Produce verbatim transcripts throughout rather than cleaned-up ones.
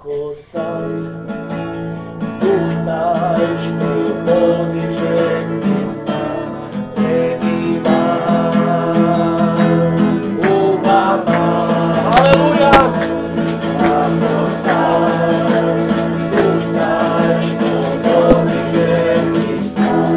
Ako sad duh taj što podiže Hrista prebiva u vama. Aleluja! Ako sad duh taj što podiže Hrista prebiva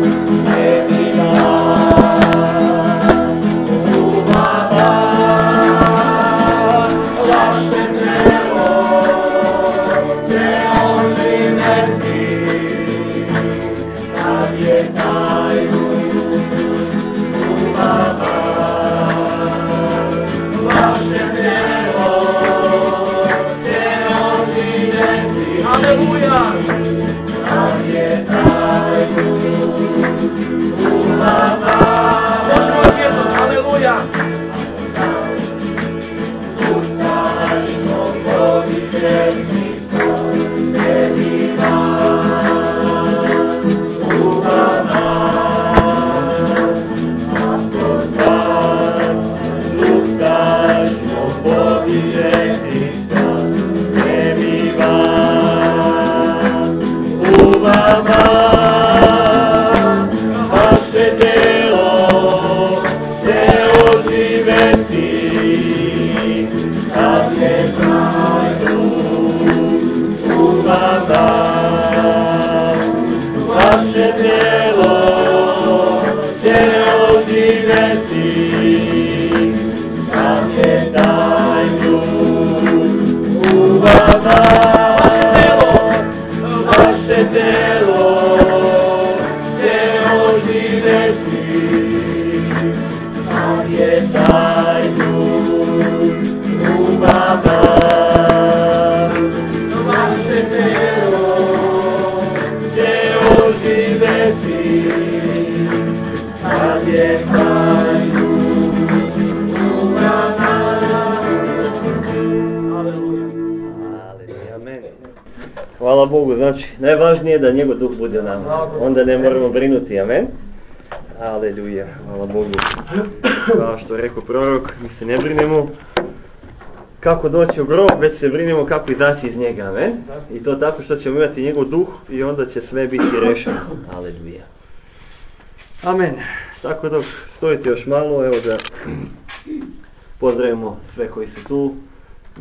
u vama. Vaše Hvala Bogu, znači najvažnije je da njegov duh bude nama, onda ne moramo brinuti, amen. Aleluja, hvala Bogu. Kao što je rekao prorok, mi se ne brinemo kako doći u grob, već se brinemo kako izaći iz njega, amen. I to tako što ćemo imati njegov duh i onda će sve biti rešeno, aleluja. Amen. Tako dok stojite još malo, evo da pozdravimo sve koji su tu,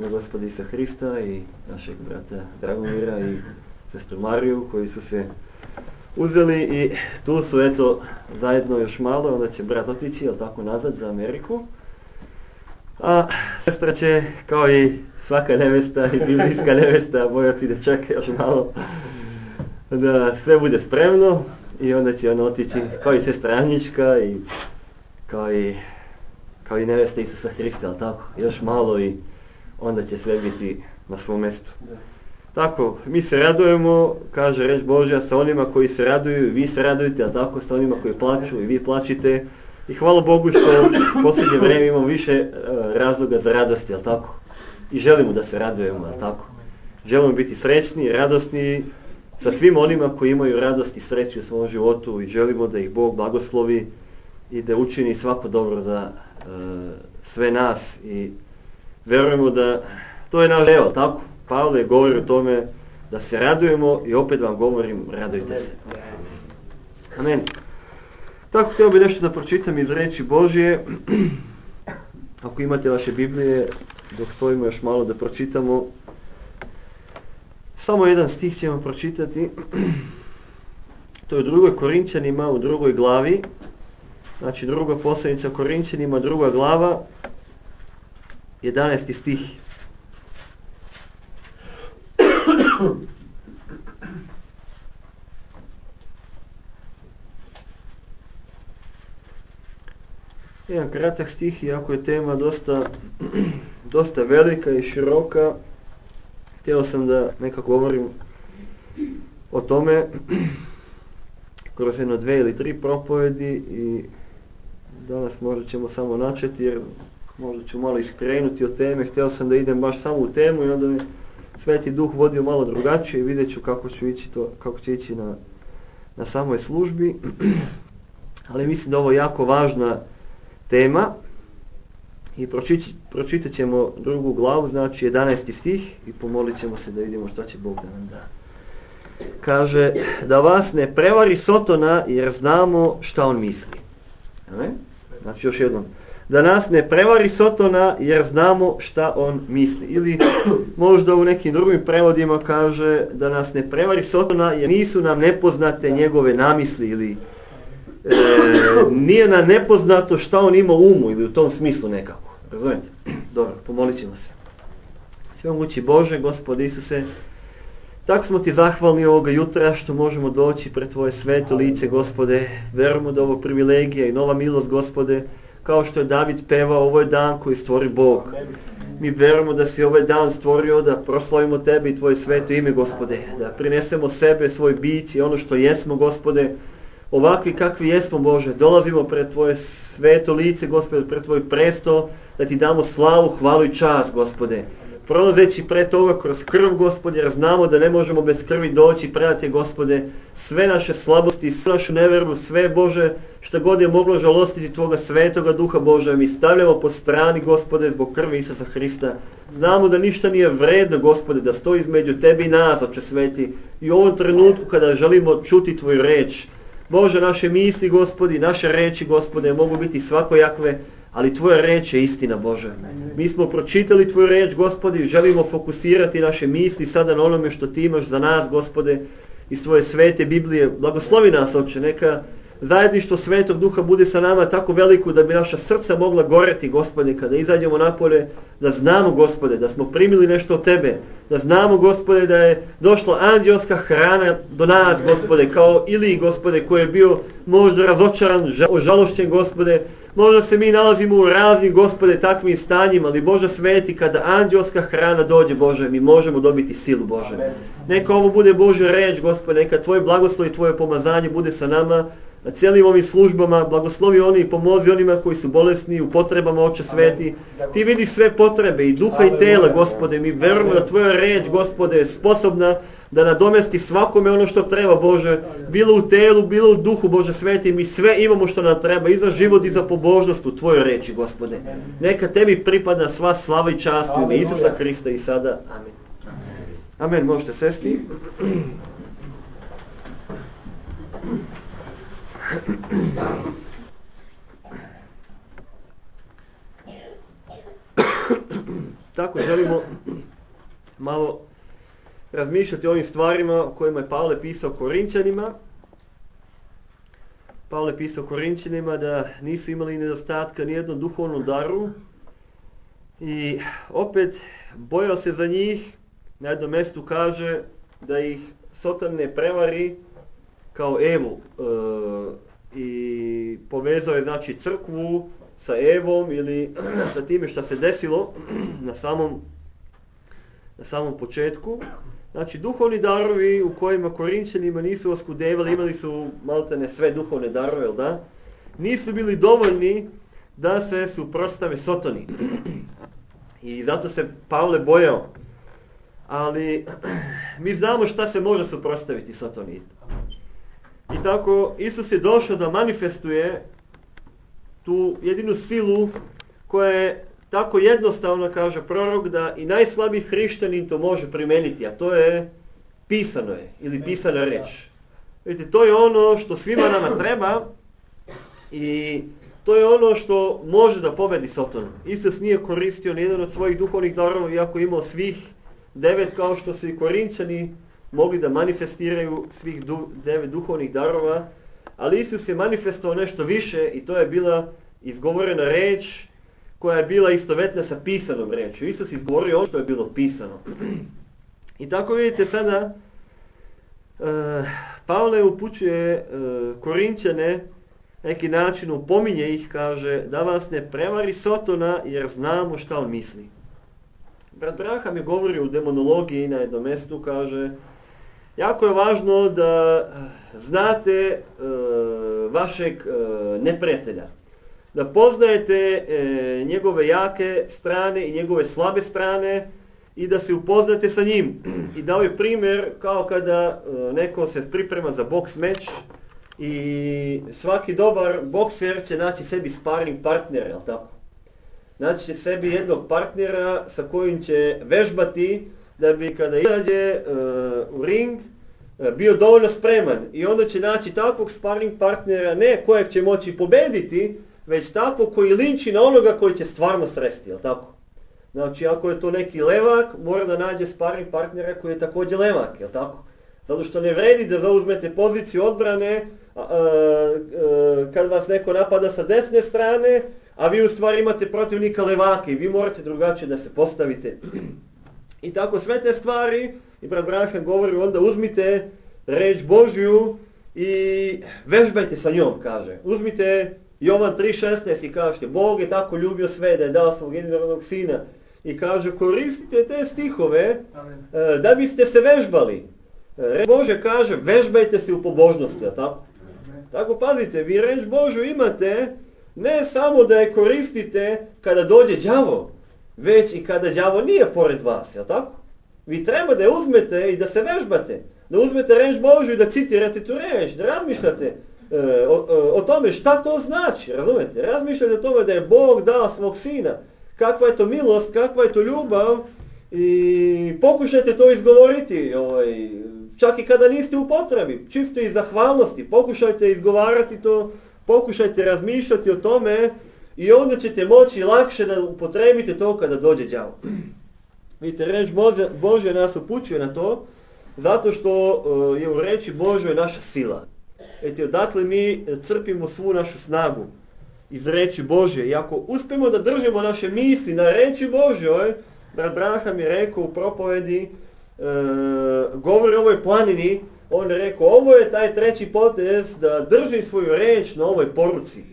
na Gospoda Isusa Hrista i našeg brata Dragomira i sestru Mariju koji su se uzeli i tu su eto zajedno još malo, onda će brat otići, jel tako, nazad za Ameriku. A sestra će, kao i svaka nevesta i biblijska nevesta, bojati da čeka još malo da sve bude spremno i onda će ona otići kao i sestra Anjička i kao i, kao i nevesta Isusa Hrista, jel tako, još malo i onda će sve biti na svom mjestu. Tako, mi se radujemo, kaže reč Božja, sa onima koji se raduju, vi se radujete, a tako sa onima koji plaču i vi plačite. I hvala Bogu što u posljednje vrijeme imamo više uh, razloga za radosti, jel tako? I želimo da se radujemo, jel tako? Želimo biti srećni, radosni sa svim onima koji imaju radost i sreću u svom životu i želimo da ih Bog blagoslovi i da učini svako dobro za uh, sve nas i vjerujemo da to je naš deo, tako? Pavle govori o tome da se radujemo i opet vam govorim, radujte se. Amen. Tako, htio bih nešto da pročitam iz reči Božje. Ako imate vaše Biblije, dok stojimo još malo da pročitamo. Samo jedan stih ćemo pročitati. To je u drugoj Korinćanima, u drugoj glavi. Znači druga poslanica Korinćanima, druga glava, jedanaesti stih. Jedan kratak stih, iako je tema dosta, dosta velika i široka, htio sam da nekako govorim o tome kroz jedno dve ili tri propovedi i danas možda ćemo samo načeti jer možda ću malo iskrenuti od teme. Htio sam da idem baš samo u temu i onda mi Sveti Duh vodio malo drugačije i vidjet ću kako ću ići to, kako će ići na, na samoj službi. Ali mislim da ovo je jako važna tema I pročitat, pročitat ćemo drugu glavu, znači jedanaesti stih i pomolit ćemo se da vidimo šta će Bog da nam da. Kaže, da vas ne prevari Sotona jer znamo šta on misli. Amen? Znači još jednom. Da nas ne prevari Sotona jer znamo šta on misli. Ili možda u nekim drugim prevodima kaže da nas ne prevari Sotona jer nisu nam nepoznate njegove namisli ili e, nije nam nepoznato šta on ima u umu ili u tom smislu nekako. Razumijete? Dobro, pomolit ćemo se. Svemogući Bože, Gospode Isuse, tako smo ti zahvalni ovoga jutra što možemo doći pred tvoje sveto lice, Gospode. Verujemo da ovo privilegija i nova milost, Gospode, kao što je David pevao, ovo je dan koji stvori Bog. Mi verujemo da si ovaj dan stvorio da proslavimo tebe i tvoje sveto ime, Gospode. Da prinesemo sebe, svoj bit i ono što jesmo, Gospode. Ovakvi kakvi jesmo, Bože. Dolazimo pred tvoje sveto lice, Gospode, pred tvoj presto, da ti damo slavu, hvalu i čast, Gospode. Prolazeći pred toga kroz krv, Gospode, jer znamo da ne možemo bez krvi doći, predate, Gospode, sve naše slabosti, sve našu neveru, sve, Bože, što god je moglo žalostiti tvoga svetoga duha, Bože, mi stavljamo po strani, Gospode, zbog krvi Isusa Hrista. Znamo da ništa nije vredno, Gospode, da stoji između tebi i nas, Oče sveti, i u ovom trenutku kada želimo čuti tvoju reč. Bože, naše misli, Gospodi, naše reči, Gospode, mogu biti svakojakve, ali tvoja reč je istina, Bože. Mi smo pročitali tvoju reč, Gospodi, želimo fokusirati naše misli sada na onome što ti imaš za nas, Gospode, iz tvoje svete Biblije. Blagoslovi nas, Oče, neka zajedništvo Svetog Duha bude sa nama tako veliko da bi naša srca mogla goreti, Gospode, kada izađemo napolje, da znamo, Gospode, da smo primili nešto od tebe, da znamo, Gospode, da je došla anđelska hrana do nas, Gospode, kao Iliji, Gospode, koji je bio možda razočaran, ožalošćen, Gospode. Možda se mi nalazimo u raznim, Gospode, takvim stanjima, ali Bože sveti, kada anđelska hrana dođe, Bože, mi možemo dobiti silu, Bože. Neka ovo bude Božja reč, Gospode, neka tvoj blagoslov i tvoje pomazanje bude sa nama, na cijelim ovim službama. Blagoslovi oni i pomozi onima koji su bolesni, u potrebama, Oče sveti. Ti vidi sve potrebe i duha i tela, Gospode. Mi verujemo da tvoja reč, Gospode, je sposobna da nadomesti svakome ono što treba, Bože. Bilo u telu, bilo u duhu, Bože sveti. Mi sve imamo što nam treba i za život i za pobožnost u tvojoj reči, Gospode. Neka tebi pripada sva slava i čast u ime Isusa Hrista i sada. Amen. Amen. Možete sesti. Tako želimo malo razmišljati o ovim stvarima o kojima je Pavle pisao Korinčanima. Pavle pisao Korinčanima da nisu imali nedostatka nijednom duhovnom daru i opet bojao se za njih. Na jednom mjestu kaže da ih Sotan ne prevari kao Evu e, i povezao je znači crkvu sa Evom ili sa time što se desilo na samom, na samom početku. Znači duhovni darovi u kojima Korinčanima nisu oskudevali, imali su maltene sve duhovne darove, jel da? Nisu bili dovoljni da se suprotstave Sotoni. I zato se Pavle bojao. Ali mi znamo šta se može suprotstaviti Sotoni. I tako Isus je došao da manifestuje tu jedinu silu koja je tako jednostavno, kaže prorok, da i najslabiji hrišćanin to može primeniti, a to je pisano je ili pisana reč. Vidite, to je ono što svima nama treba i to je ono što može da pobedi Sotonu. Isus nije koristio nijedan od svojih duhovnih darova, iako je imao svih devet, kao što su i Korinčani mogli da manifestiraju svih du, devet duhovnih darova, ali Isus je manifestovao nešto više i to je bila izgovorena reč koja je bila istovetna sa pisanom rečju. Isus izgovorio ono što je bilo pisano. I tako vidite sada, uh, Pavle upućuje uh, Korinčane, neki način upominje ih, kaže, da vas ne prevari Sotona jer znamo šta on misli. Brat Braham je govorio u demonologiji na jednom mjestu, kaže, jako je važno da znate uh, vašeg uh, neprijatelja, da poznajete e, njegove jake strane i njegove slabe strane i da se upoznate sa njim. I dao je primjer kao kada e, neko se priprema za boks meč i svaki dobar bokser će naći sebi sparring partner, jel tako? naći će sebi jednog partnera sa kojim će vežbati da bi kada izađe uh, u ring uh, bio dovoljno spreman. I onda će naći takvog sparring partnera, ne kojeg će moći pobediti, već takvog koji linči na onoga koji će stvarno sresti, jel tako? Znači, ako je to neki levak, mora da nađe sparring partnera koji je također levak, jel tako? Zato što ne vredi da zauzmete poziciju odbrane a, a, a, kad vas neko napada sa desne strane, a vi u stvari imate protivnika levaka i vi morate drugačije da se postavite. I tako sve te stvari, i brat Branham govori, onda uzmite reč Božju i vežbajte sa njom, kaže. Uzmite Jovan tri šesnaest i kažete, Bog je tako ljubio sve da je dao svog jedinorodnog sina. I kaže, koristite te stihove Amen. Da biste se vežbali. Reč Bože kaže, vežbajte se u pobožnosti, a tako? Amen. Tako pazite, vi reč Božju imate ne samo da je koristite kada dođe đavo, već i kada đavo nije pored vas, jel tako? Vi treba da je uzmete i da se vežbate. Da uzmete reč Božju i da citirate tu reč, da razmišljate e, o, o, o tome šta to znači, razumete? Razmišljate o tome da je Bog dao svog sina, kakva je to milost, kakva je to ljubav i pokušajte to izgovoriti, ovaj, čak i kada niste u potrebi, čisto iz zahvalnosti, pokušajte izgovarati to, pokušajte razmišljati o tome i onda ćete moći lakše da upotrebite to kada dođe đavo. Vidite, reč Božja nas upućuje na to, zato što uh, je u reči Božjoj naša sila. Eti, odatle mi crpimo svu našu snagu iz reči Božje. I ako uspemo da držimo naše misli na reči Božjoj, brat Branham je rekao u propovedi, uh, govori o ovoj planini, on je rekao, ovo je taj treći potez da drži svoju reč na ovoj poruci.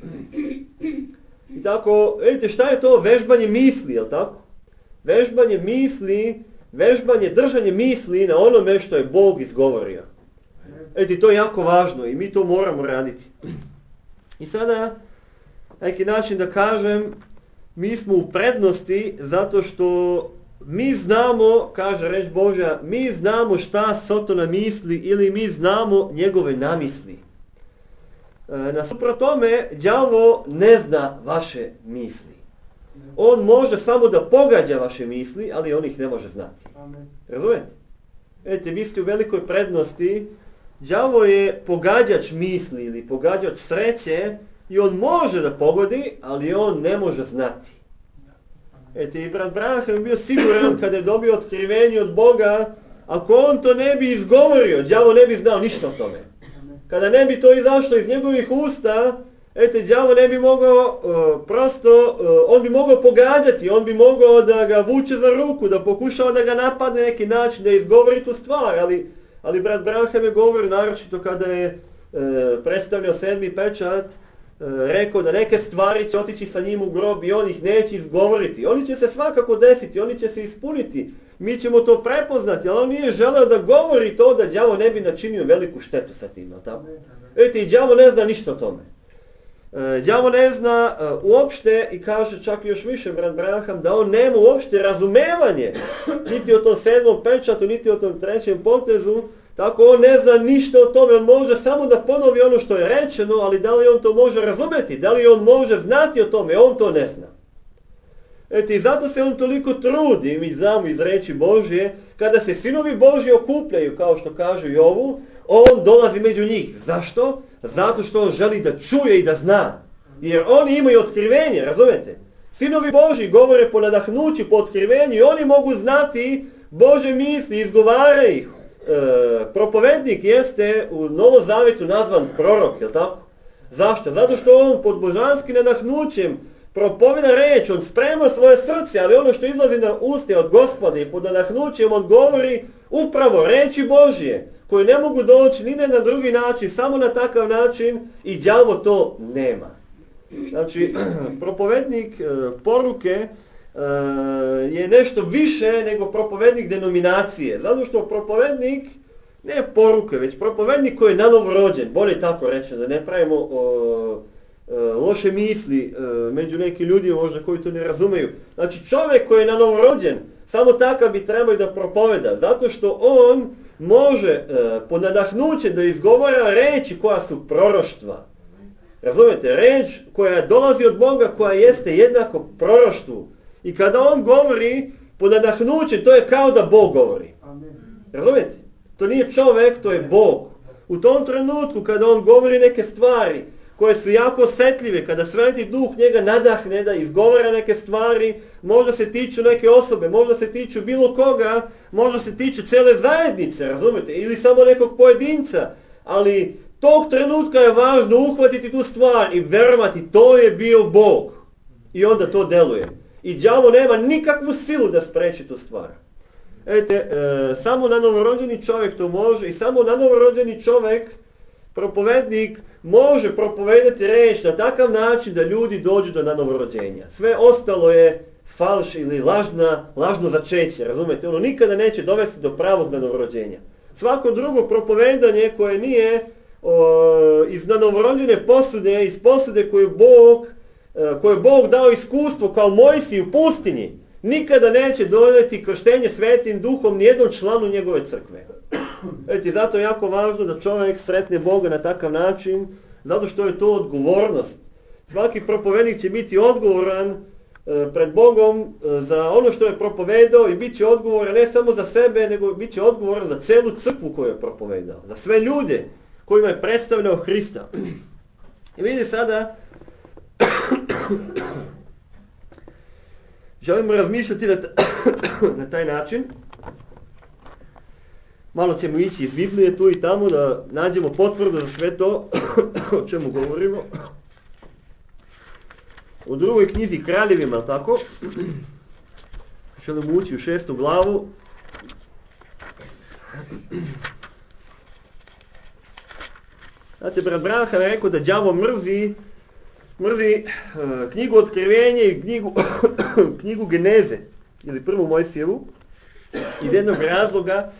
I tako, vidite, šta je to? Vežbanje misli, jel tako? Vežbanje misli, vežbanje, držanje misli na onome što je Bog izgovorio. Vidite, to je jako važno i mi to moramo raditi. I sada, neki način da kažem, mi smo u prednosti zato što mi znamo, kaže reč Božja, mi znamo šta Sotona misli ili mi znamo njegove namisli. E, nasuprot tome, đavo ne zna vaše misli. On može samo da pogađa vaše misli, ali on ih ne može znati. Razumete? Vidite, vi ste u velikoj prednosti. Đavo je pogađač misli ili pogađač sreće i on može da pogodi, ali on ne može znati. Ete, i brat Branham je bio siguran kada je dobio otkrivenje od Boga, ako on to ne bi izgovorio, đavo ne bi znao ništa o tome. Kada ne bi to izašlo iz njegovih usta, ete, đavo ne bi mogao, uh, prosto, uh, on bi mogao pogađati, on bi mogao da ga vuče za ruku, da pokušava da ga napadne neki način, da izgovori tu stvar, ali, ali brat Branham je govorio, naročito kada je uh, predstavljao sedmi pečat, rekao da neke stvari će otići sa njim u grob i on ih neće izgovoriti. Oni će se svakako desiti, oni će se ispuniti. Mi ćemo to prepoznati, ali on nije želeo da govori to da đavo ne bi načinio veliku štetu sa tim. Vidite, i đavo ne zna ništa o tome. Đavo ne zna uh, uopšte i kaže čak još više brat Branham da on nema uopšte razumevanje niti o tom sedmom pečatu, niti o tom trećem potezu. Tako on ne zna ništa o tome, on može samo da ponovi ono što je rečeno, ali da li on to može razumeti, da li on može znati o tome, on to ne zna. Eto, i zato se on toliko trudi, mi znamo iz reči Božje, kada se sinovi Božji okupljaju, kao što kaže Jovu, on dolazi među njih. Zašto? Zato što on želi da čuje i da zna. Jer oni imaju otkrivenje, razumete? Sinovi Božji govore po nadahnuću, po otkrivenju i oni mogu znati Bože misli, izgovara ih. E, propovednik jeste u Novom Zavjetu nazvan prorok, je li tako? Zašto? Zato što on pod božanskim nadahnućem propoveda reč, on sprema svoje srce, ali ono što izlazi na uste od Gospoda i pod nadahnućem on govori upravo reči Božje, koje ne mogu doći ni na drugi način, samo na takav način i đavo to nema. Znači, propovednik e, poruke Uh, je nešto više nego propovednik denominacije. Zato što propovednik, ne poruke, već propovednik koji je nanovo rođen, bolje tako reći, da ne pravimo uh, uh, loše misli uh, među nekim ljudima možda koji to ne razumeju. Znači čovjek koji je nanovo rođen, samo takav bi trebao da propoveda, zato što on može uh, pod nadahnućem da izgovara reči koja su proroštva. Razumijete, reč koja dolazi od Boga, koja jeste jednako proroštvu. I kada on govori pod nadahnućem, to je kao da Bog govori. Razumijete? To nije čovjek, to je Bog. U tom trenutku kada on govori neke stvari koje su jako osjetljive, kada Sveti Duh njega nadahne da izgovara neke stvari, možda se tiču neke osobe, možda se tiču bilo koga, možda se tiču cijele zajednice, razumijete, ili samo nekog pojedinca, ali tog trenutka je važno uhvatiti tu stvar i verovati, to je bio Bog. I onda to deluje. I đavo nema nikakvu silu da spreči tu stvar. Ete, e, samo na novorođeni čovjek to može i samo na novorođeni čovjek, propovednik, može propovedati reč na takav način da ljudi dođu do novorođenja. Sve ostalo je falš ili lažna, lažno začeće, razumijete? Ono nikada neće dovesti do pravog novorođenja. Svako drugo propovedanje koje nije o, iz novorođene posude, iz posude koju Bog, koje je Bog dao iskustvo kao Mojsiji u pustinji, nikada neće donijeti krštenje Svetim Duhom nijednom članu njegove crkve. Eto, zato je jako važno da čovjek sretne Boga na takav način, zato što je to odgovornost. Svaki propovednik će biti odgovoran e, pred Bogom e, za ono što je propovedao i bit će odgovoran ne samo za sebe, nego bit će odgovoran za celu crkvu koju je propovedao, za sve ljude kojima je predstavljao Hrista. I vidi sada, želimo razmišljati na, na taj način. Malo ćemo ići iz Biblije tu i tamo da nađemo potvrdu za sve to o čemu govorimo. U drugoj knjizi Kraljevima, tako? Želimo ući u šestu glavu. Znate, brat Branham je rekao da đavo mrzi, mrzi uh, knjigu Otkrivenje i knjigu, knjigu Geneze, ili prvu Mojsijevu, iz jednog razloga,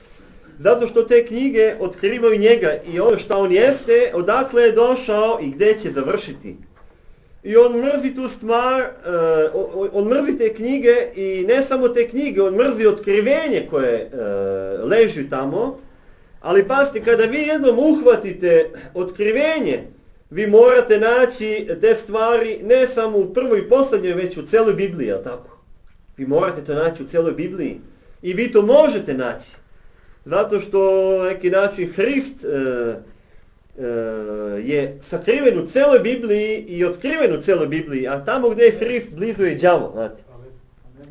zato što te knjige otkrivaju njega i ono što on jeste, odakle je došao i gdje će završiti. I on mrzi tu stvar, uh, on mrzi te knjige i ne samo te knjige, on mrzi otkrivenje koje uh, leži tamo, ali pazite, kada vi jednom uhvatite otkrivenje, vi morate naći te stvari ne samo u prvoj i posljednjoj, već u cijeloj Bibliji, jel tako? Vi morate to naći u cijeloj Bibliji i vi to možete naći. Zato što neki način Hrist e, e, je sakriven u cijeloj Bibliji i otkriven u cijeloj Bibliji, a tamo gdje je Hrist, blizu je đavo, znate.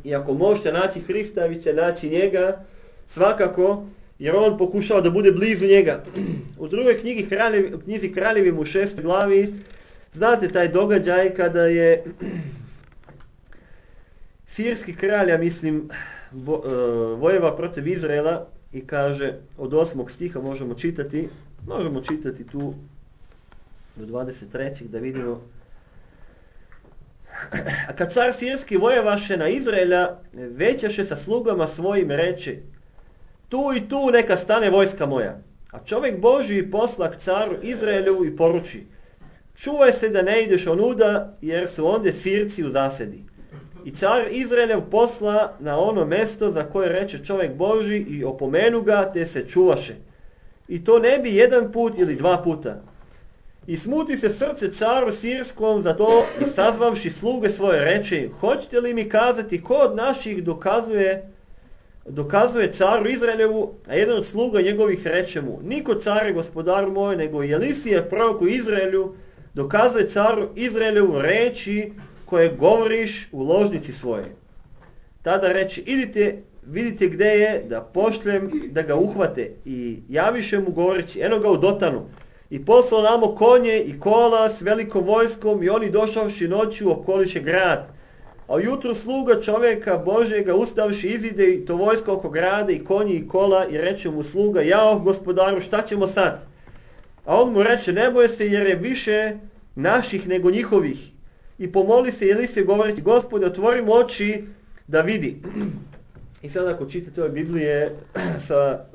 I ako možete naći Hrista, vi će naći njega svakako, jer on pokušao da bude blizu njega. U drugoj knjigi kraljevi, knjizi Kraljevima u šestoj glavi, znate taj događaj kada je sirski kralj, ja mislim, vo, uh, vojeva protiv Izraela i kaže, od osmog stiha možemo čitati, možemo čitati tu do dvadeset trećeg da vidimo. A kad car sirski vojevaše na Izraela, većaše sa slugama svojim reče, tu i tu neka stane vojska moja. A čovjek Božji posla k caru Izraelu i poruči, čuvaj se da ne ideš onuda, jer su onde Sirci u zasedi. I car Izraelev posla na ono mesto za koje reče čovjek Božji i opomenu ga, te se čuvaše. I to ne bi jedan put ili dva puta. I smuti se srce caru Sirskom za to i sazvavši sluge svoje reče, hoćete li mi kazati ko od naših dokazuje dokazuje caru Izraelevu, a jedan od sluga njegovih reče mu, niko care gospodaru moj, nego Elisije prorok u Izraelu, dokazuje caru Izraelevu reči koje govoriš u ložnici svoje. Tada reče, idite, vidite gdje je, da pošljem da ga uhvate. I javiše mu govoreći, eno ga u Dotanu. I poslao namo konje i kola s velikom vojskom i oni došavši noću okoliše grad. A ujutru sluga čovjeka Božjega ustavši izide i to vojsko oko grada i konji i kola i reče mu sluga, jao gospodaru, šta ćemo sad? A on mu reče, ne boje se jer je više naših nego njihovih. I pomoli se Elisije govoreći, Gospode, otvori mu oči da vidi. I sad ako čitate ove Biblije sa,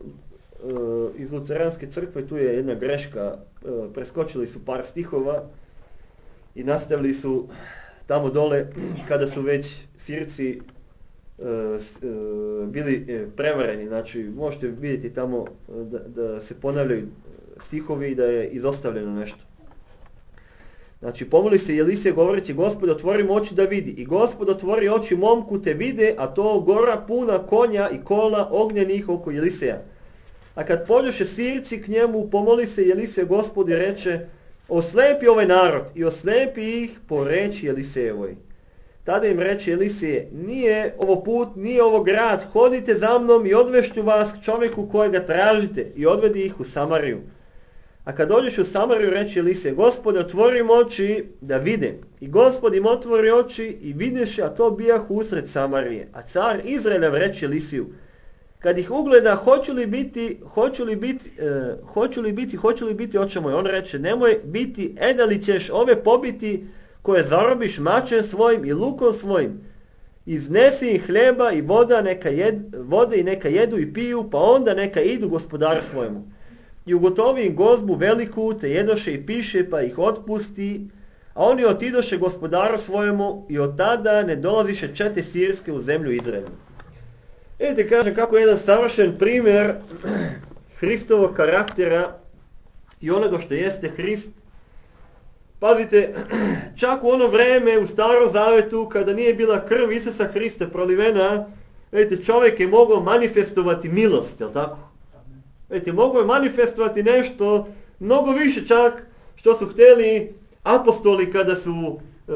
uh, iz Luteranske crkve, tu je jedna greška, uh, preskočili su par stihova i nastavili su tamo dole, kada su već Sirci uh, uh, bili uh, prevareni, znači možete vidjeti tamo da, da se ponavljaju stihovi i da je izostavljeno nešto. Znači, pomoli se Elisej govoreći, Gospod, otvori mu oči da vidi. I Gospod otvori oči momku te vide, a to gora puna konja i kola ognjenih oko Eliseja. A kad pođoše Sirci k njemu, pomoli se Elisej Gospod i reče, oslepi ovaj narod i oslepi ih po reči Elisejevoj. Tada im reče Elisej, nije ovo put, nije ovo grad, hodite za mnom i odvešću vas k čovjeku kojega tražite i odvedi ih u Samariju. A kad dođeš u Samariju, reče Elisej, Gospode, otvori im oči da vide. I Gospod im otvori oči i videše, a to bijah usred Samarije. A car Izraeljev reče Elisiju, kad ih ugleda, hoću li biti, hoću li biti, e, hoću li biti, hoću li biti oče moj? On reče, nemoj biti, e da li ćeš ove pobiti koje zarobiš mačem svojim i lukom svojim. Iznesi im hljeba i voda, neka jed, vode i neka jedu i piju, pa onda neka idu gospodaru svojemu. I ugotovi im gozbu veliku, te jedoše i piše, pa ih otpusti, a oni otidoše gospodaru svojemu i od tada ne dolaziše čete sirske u zemlju Izraelu. Vidite, kažem, kako je jedan savršen primjer Hristovog karaktera i onoga što jeste Hrist. Pazite, čak u ono vreme u Starom Zavetu, kada nije bila krv Isusa Hrista prolivena, vidite, čovjek je mogao manifestovati milost, jel tako? Vidite, mogao je manifestovati nešto, mnogo više čak, što su htjeli apostoli kada su e,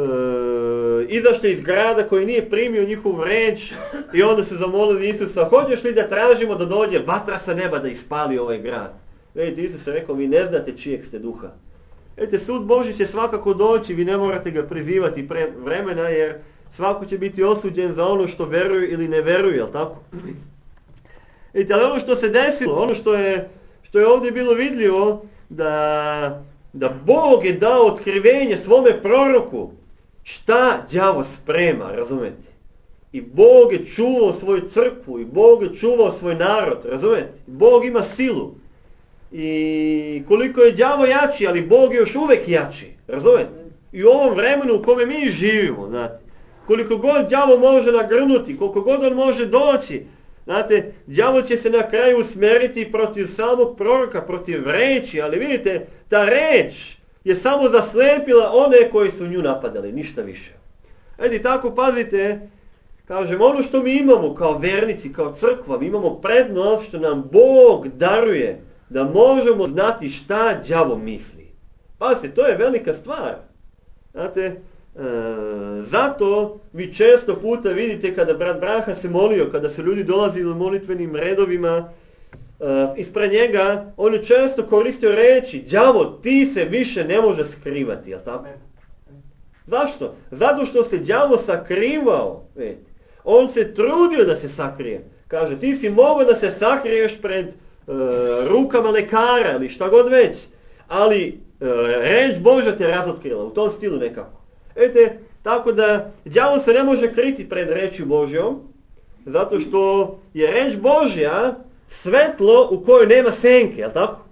izašli iz grada koji nije primio njihovu reč i onda se zamolili Isusa, hoćeš li da tražimo da dođe vatra sa neba da ispali ovaj grad? Vidite, Isus je rekao, vi ne znate čijeg ste duha. Vidite, sud Božji će svakako doći, vi ne morate ga prizivati pre vremena, jer svako će biti osuđen za ono što veruje ili ne veruje, jel tako? Vidite, ali ono što se desilo, ono što je, što je ovdje bilo vidljivo, da, da Bog je dao otkrivenje svome proroku šta đavo sprema, razumete? I Bog je čuvao svoju crkvu, i Bog je čuvao svoj narod, razumete? Bog ima silu. I koliko je đavo jači, ali Bog je još uvijek jači, razumete? I u ovom vremenu u kome mi živimo, znate, koliko god đavo može nagrnuti, koliko god on može doći, znate, đavo će se na kraju usmjeriti protiv samog proroka, protiv reči, ali vidite, ta reč je samo zaslepila one koji su nju napadali, ništa više. Edi, tako pazite, kažem, ono što mi imamo kao vernici, kao crkva, mi imamo prednost što nam Bog daruje da možemo znati šta đavo misli. Pazite, to je velika stvar. Znate, e, zato vi često puta vidite kada brat Braha se molio, kada su ljudi dolazili u molitvenim redovima e, ispred njega, on je često koristio reči, đavo, ti se više ne može skrivati, jel tako? Zašto? Zato što se đavo sakrivao, vidite. On se trudio da se sakrije. Kaže, ti si mogao da se sakriješ pred uh, rukama lekara ili šta god već, ali uh, reč Božja te razotkrila, u tom stilu nekako. Vidite, tako da đavo se ne može kriti pred rečju Božjom, zato što je reč Božja svetlo u kojoj nema senke, jel tako?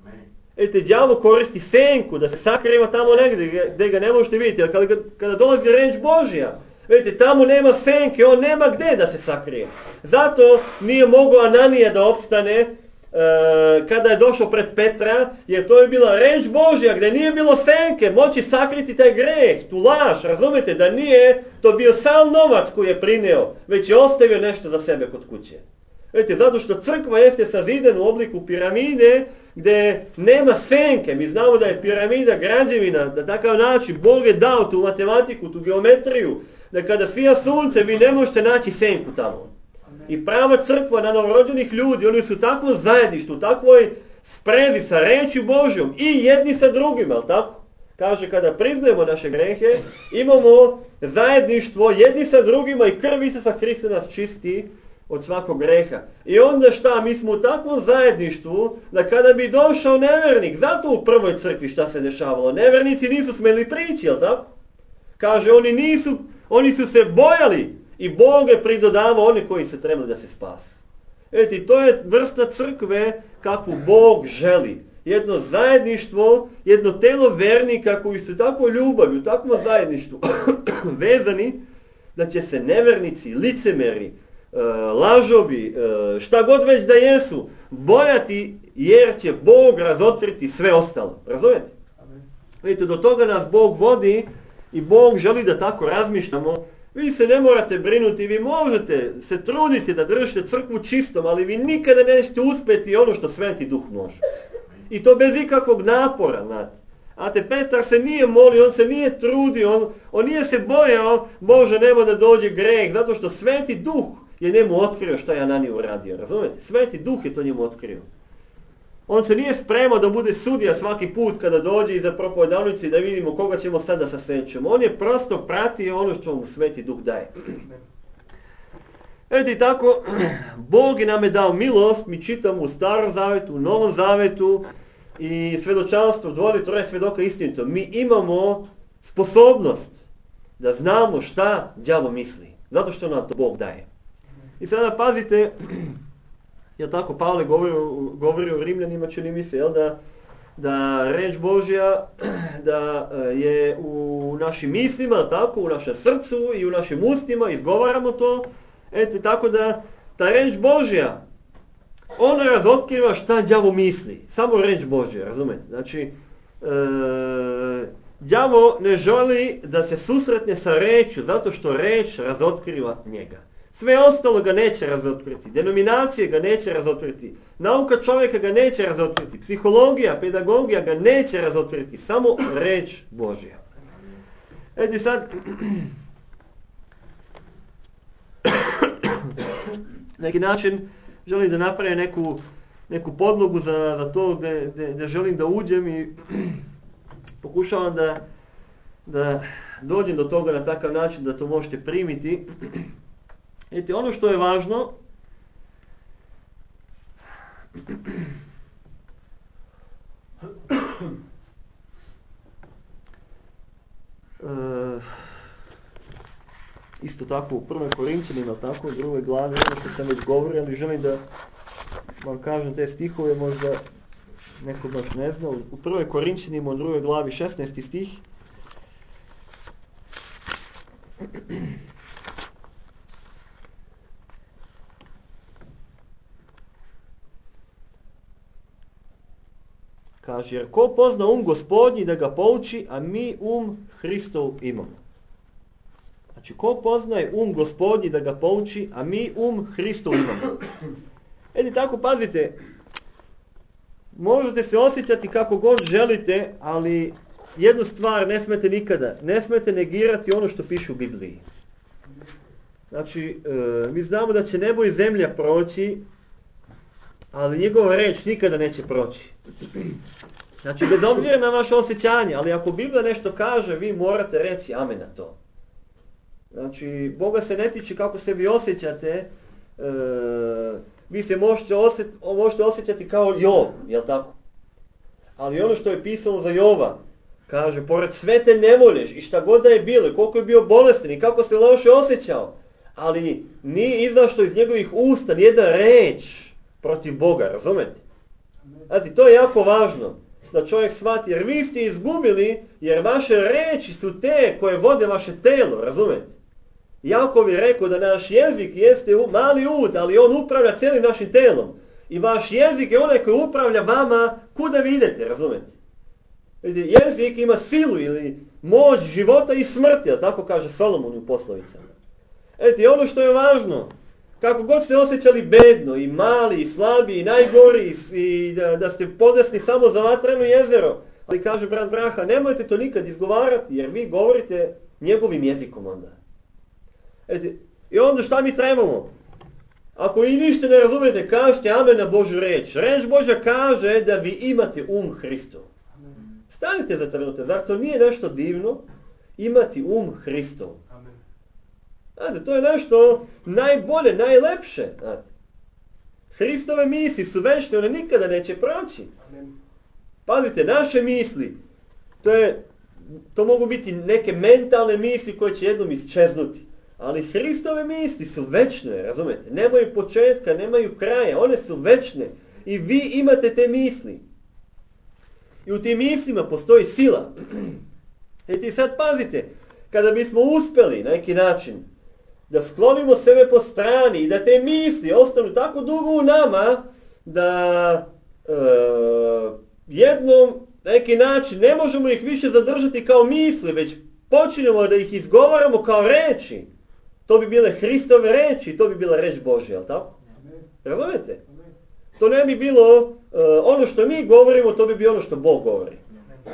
Vidite, đavo koristi senku da se sakriva tamo negdje gdje ga ne možete vidjeti, ali kada, kada dolazi reč Božja, vidite, tamo nema senke, on nema gdje da se sakrije. Zato nije mogao Ananija da opstane e, kada je došao pred Petra, jer to je bila reč Božja gdje nije bilo senke, moći sakriti taj greh, tu laž, razumete, da nije to bio sam novac koji je prineo, već je ostavio nešto za sebe kod kuće. Vidite, zato što crkva jeste sazidana u obliku piramide, gdje nema senke. Mi znamo da je piramida građevina, na takav način Bog je dao tu matematiku, tu geometriju, da kada sija sunce vi ne možete naći senku tamo. I prava crkva na novorođenih ljudi, oni su u takvom zajedništvu, u takvoj sprezi sa reči Božjom i jedni sa drugima, ali tako? Kaže, kada priznajemo naše grehe, imamo zajedništvo jedni sa drugima i krv Isusa Hrista nas čisti od svakog greha. I onda šta, mi smo u takvom zajedništvu da kada bi došao nevernik, zato u prvoj crkvi šta se dešavalo, nevernici nisu smjeli prići, jel tako? Kaže, oni nisu, oni su se bojali i Bog je pridodavao one koji se trebali da se spase. Vidite, to je vrsta crkve kakvu Bog želi. Jedno zajedništvo, jedno telo vernika koji su tako ljubavi, u takvom zajedništvu vezani, da će se nevernici, licemeri, lažovi, šta god već da jesu, bojati jer će Bog razotkriti sve ostalo. Razumijete? Vidite, do toga nas Bog vodi i Bog želi da tako razmišljamo. Vi se ne morate brinuti, vi možete se truditi da držite crkvu čistom, ali vi nikada nećete uspjeti ono što Sveti Duh može. I to bez ikakvog napora, znate. A te Petar se nije molio, on se nije trudio, on, on nije se bojao, Bože, nema da dođe greh, zato što Sveti Duh je njemu otkrio šta je Ananija uradio, razumijete? Sveti Duh je to njemu otkrio. On se nije spremao da bude sudija svaki put kada dođe iza propovedalnice i da vidimo koga ćemo sada sasjećemo. On je prosto pratio ono što mu Sveti Duh daje. Eto i tako, Bog je nam je dao milost, mi čitamo u Starom Zavetu, u Novom Zavetu i svjedočanstvo, dvoje, troje svjedoka istinito. Mi imamo sposobnost da znamo šta đavo misli, zato što nam to Bog daje. I sada pazite, jer tako Pavle govori, govori o Rimljanima, čini mi se, jel, da, da reč Božja da je u našim mislima, tako, u našem srcu i u našim ustima, izgovaramo to. Eto, tako da ta reč Božja, ona razotkriva šta đavo misli. Samo reč Božja, razumete? Znači, e, đavo ne želi da se susretne sa rečju, zato što reč razotkriva njega. Sve ostalo ga neće razotkriti, denominacije ga neće razotkriti, nauka čovjeka ga neće razotkriti, psihologija, pedagogija ga neće razotkriti, samo reč Božja. Eto sad, na neki način želim da napravim neku, neku podlogu za, za to gdje, gdje, gdje želim da uđem i pokušavam da, da dođem do toga na takav način da to možete primiti. Vidite, ono što je važno, e, isto tako u prvoj Korinćanima, tako u drugoj glavi, ono što sam već govorio, ali želim da vam kažem te stihove, možda neko baš ne zna. U prvoj Korinćanima u drugoj glavi šesnaesti stih. Kaže, jer ko pozna um Gospodnji da ga pouči, a mi um Hristov imamo. Znači, ko poznaje um Gospodnji da ga pouči, a mi um Hristov imamo. Edi tako, pazite, možete se osjećati kako god želite, ali jednu stvar ne smete nikada, ne smete negirati ono što piše u Bibliji. Znači, e, mi znamo da će nebo i zemlja proći, ali njegova reč nikada neće proći. Znači, bez obzira na vaše osjećanje, ali ako Biblija nešto kaže, vi morate reći amen na to. Znači, Boga se ne tiče kako se vi osjećate, e, vi se možete, osjet, možete osjećati kao Jov, jel tako? Ali ono što je pisano za Jova, kaže, pored sve te nevolje i šta god da je bilo, koliko je bio bolestan i kako se loše osjećao, ali nije izašlo iz njegovih usta nijedna reč protiv Boga, razumete? Znači, to je jako važno da čovjek shvati, jer vi ste izgubili, jer vaše reči su te koje vode vaše telo, razumete? Jakov je rekao da naš jezik jeste mali ud, ali on upravlja cijelim našim telom. I vaš jezik je onaj koji upravlja vama kuda vi idete, razumete? Vidite, jezik ima silu ili moć života i smrti, tako kaže Solomon u poslovicama. Eto, ono što je važno, kako god ste osjećali bedno i mali i slabi i najgori i da, da ste podesni samo za vatreno jezero, ali kaže brat Braha, nemojte to nikad izgovarati jer vi govorite njegovim jezikom onda. Eto, i onda šta mi trebamo? Ako i ništa ne razumijete, kažete amen na Božju reč. Reč Božja kaže da vi imate um Hristov. Stanite za trenutak, zar to nije nešto divno? Imati um Hristov. Znate, to je nešto najbolje, najlepše. Znate. Hristove misli su večne, one nikada neće proći. Pazite, naše misli, to, je, to mogu biti neke mentalne misli koje će jednom isčeznuti. Ali Hristove misli su večne, razumete? Nemaju početka, nemaju kraja, one su večne. I vi imate te misli. I u tim mislima postoji sila. I ti sad pazite, kada bismo uspjeli na neki način da sklonimo sebe po strani i da te misli ostanu tako dugo u nama da e, jednom na neki način ne možemo ih više zadržati kao misli, već počinjemo da ih izgovaramo kao reči. To bi bile Hristove reči, to bi bila reč Božja, jel tako? Razumijete? To ne bi bilo uh, ono što mi govorimo, to bi bilo ono što Bog govori.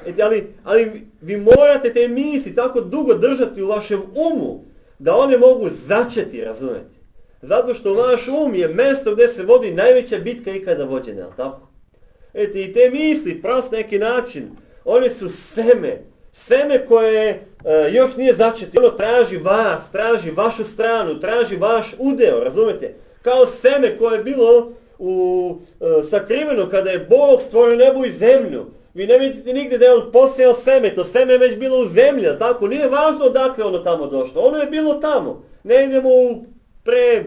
Et, ali, ali vi morate te misli tako dugo držati u vašem umu, da one mogu začeti, razumijete? Zato što vaš um je mjesto gdje se vodi najveća bitka ikada vođena, jel tako? Eti, i te misli, prost neki način, one su seme, seme koje uh, još nije začeti. Ono traži vas, traži vašu stranu, traži vaš udeo, razumijete? Kao seme koje je bilo u, uh, sakriveno kada je Bog stvorio nebo i zemlju. Vi ne vidite nigdje da je on posejao seme, to seme je već bilo u zemlji, tako? Nije važno odakle ono tamo došlo, ono je bilo tamo. Ne idemo u pre,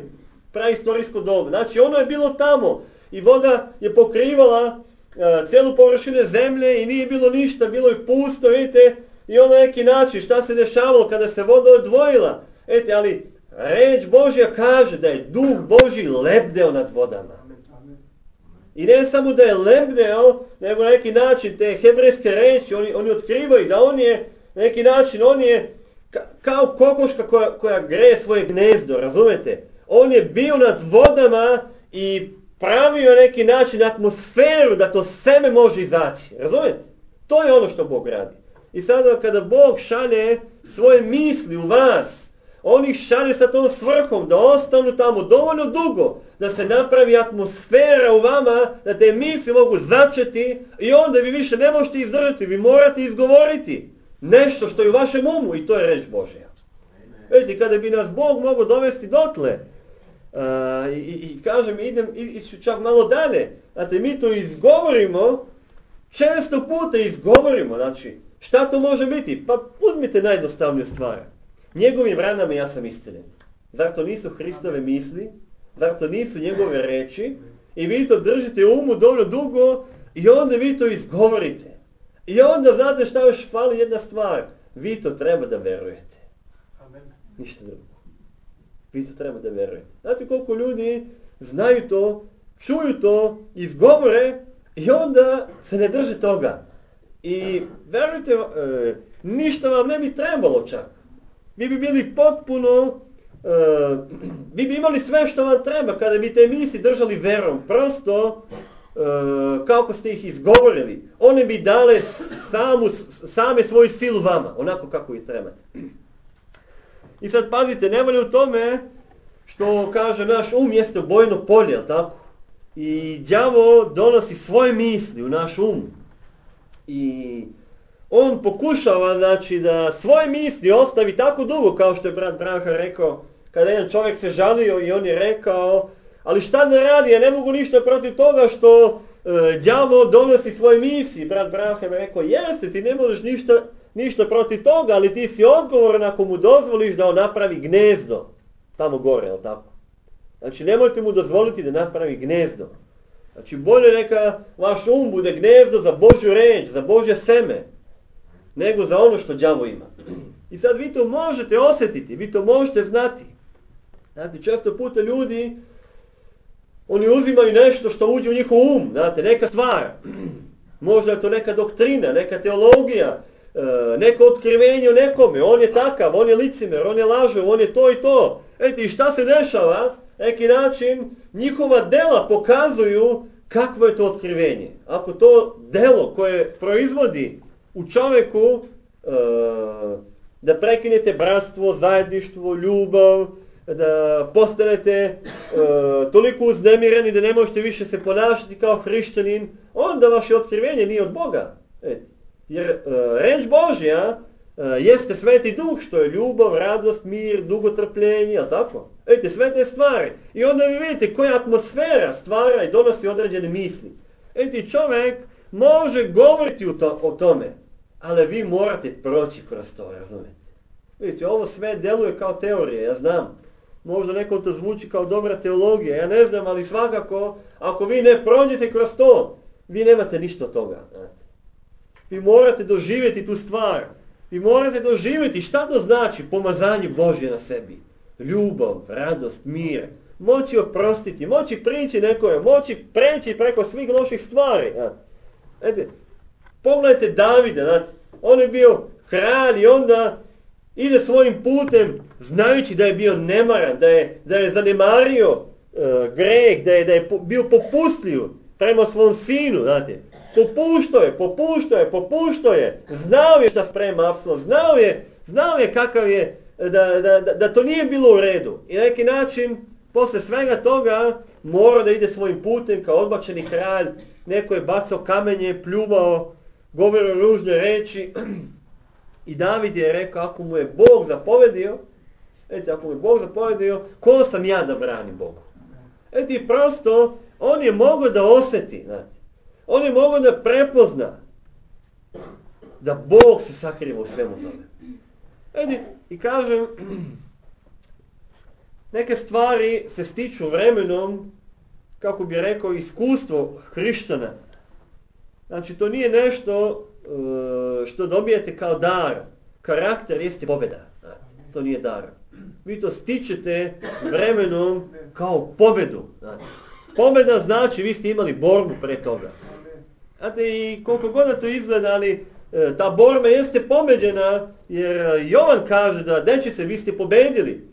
praistorijsko dobu, znači ono je bilo tamo i voda je pokrivala uh, cijelu površinu zemlje i nije bilo ništa, bilo je pusto, vidite, i ono neki način šta se dešavalo kada se voda odvojila. Ete, ali reč Božja kaže da je Duh Božji lebdeo nad vodama. I ne samo da je lebdeo, nego na neki način te hebrejske reči, oni, oni otkrivaju da on je, na neki način, on je ka, kao kokoška koja, koja greje svoje gnezdo, razumete? On je bio nad vodama i pravio na neki način atmosferu da to seme može izaći, razumete? To je ono što Bog radi. I sada kada Bog šalje svoje misli u vas, on ih šalje sa tom svrhom da ostanu tamo dovoljno dugo, da se napravi atmosfera u vama, da te misli mogu začeti i onda vi više ne možete izdržati, vi morate izgovoriti nešto što je u vašem umu i to je reč Božja. Vidite, kada bi nas Bog mogao dovesti dotle, uh, i, i, i kažem, idem, iću čak malo dalje, znate, mi to izgovorimo, često puta izgovorimo, znači, šta to može biti? Pa uzmite najjednostavniju stvar. Njegovim ranama ja sam isceljen. Zar to nisu Hristove misli? Zar to nisu njegove reči? I vi to držite u umu dovoljno dugo i onda vi to izgovorite. I onda znate šta još fali jedna stvar. Vi to treba da verujete. Amen. Ništa drugo. Vi to treba da verujete. Znate koliko ljudi znaju to, čuju to, izgovore i onda se ne drže toga. I verujte, e, ništa vam ne bi trebalo čak. Vi bi bili potpuno, uh, vi bi imali sve što vam treba kada bi te misli držali verom. Prosto, uh, kako ste ih izgovorili, one bi dale samu, same svoju silu vama, onako kako ih trebate. I sad pazite, ne volje u tome što kaže naš um jeste bojno polje, jel tako? I đavo donosi svoje misli u naš um. I on pokušava, znači, da svoje misli ostavi tako dugo, kao što je brat Branham rekao, kada jedan čovjek se žalio i on je rekao, ali šta da radi, ja ne mogu ništa protiv toga što e, đavo donosi svoje misli. Brat Branham je rekao, jeste, ti ne možeš ništa, ništa protiv toga, ali ti si odgovoran ako mu dozvoliš da on napravi gnezdo tamo gore, jel tako? Znači, nemojte mu dozvoliti da napravi gnezdo. Znači, bolje neka vaš um bude gnezdo za Božju reč, za Božje seme, nego za ono što đavo ima. I sad vi to možete osjetiti, vi to možete znati. Znate, često puta ljudi, oni uzimaju nešto što uđe u njihov um, znate, neka stvar. Možda je to neka doktrina, neka teologija, neko otkrivenje o nekome, on je takav, on je licimer, on je lažov, on je to i to. Eti, i šta se dešava? Neki način, njihova dela pokazuju kakvo je to otkrivenje. Ako to delo koje proizvodi u čovjeku uh, da prekinete bratstvo, zajedništvo, ljubav, da postanete uh, toliko uznemireni da ne možete više se ponašati kao hrišćanin, onda vaše otkrivenje nije od Boga. Et. Jer uh, reč Božja uh, jeste Sveti Duh, što je ljubav, radost, mir, dugotrpljenje, jel tako? Ete, sve te stvari. I onda vi vidite koja atmosfera stvara i donosi određene misli. Eti, čovjek može govoriti o, to, o tome, ali vi morate proći kroz to, razumijete? Vidite, ovo sve deluje kao teorija, ja znam. Možda nekom to zvuči kao dobra teologija, ja ne znam, ali svakako, ako vi ne prođete kroz to, vi nemate ništa od toga. Znate. Vi morate doživjeti tu stvar. Vi morate doživjeti šta to znači pomazanje Božje na sebi. Ljubav, radost, mir. Moći oprostiti, moći prići nekome, moći preći preko svih loših stvari. Znate. Pogledajte Davida, znate, on je bio kralj i onda ide svojim putem znajući da je bio nemaran, da je, da je zanemario uh, greh, da je, da je bio popustljiv prema svom sinu, znate. Popuštao je, popuštao je, popuštao je, znao je šta sprema Apsolom, znao je, znao je kakav je, da, da, da, da to nije bilo u redu. I na neki način, posle svega toga, mora da ide svojim putem kao odbačeni kralj, neko je bacao kamenje, pljuvao, govorio ružne reči. I David je rekao, ako mu je Bog zapovedio, eto, ako mu je Bog zapovedio, ko sam ja da branim Bogu? Eto, i prosto, on je mogao da osjeti, znate. On je mogao da prepozna da Bog se sakriva u svemu tome. Eto, i kažem, neke stvari se stiču vremenom, kako bi rekao, iskustvo hrišćana. Znači, to nije nešto što dobijete kao dar. Karakter jeste pobjeda. Znači, to nije dar. Vi to stičete vremenom kao pobjedu. Znači, pobjeda znači vi ste imali borbu pre toga. Znate, i koliko god to izgleda, ali ta borba jeste pobeđena, jer Jovan kaže da, dečice, vi ste pobedili.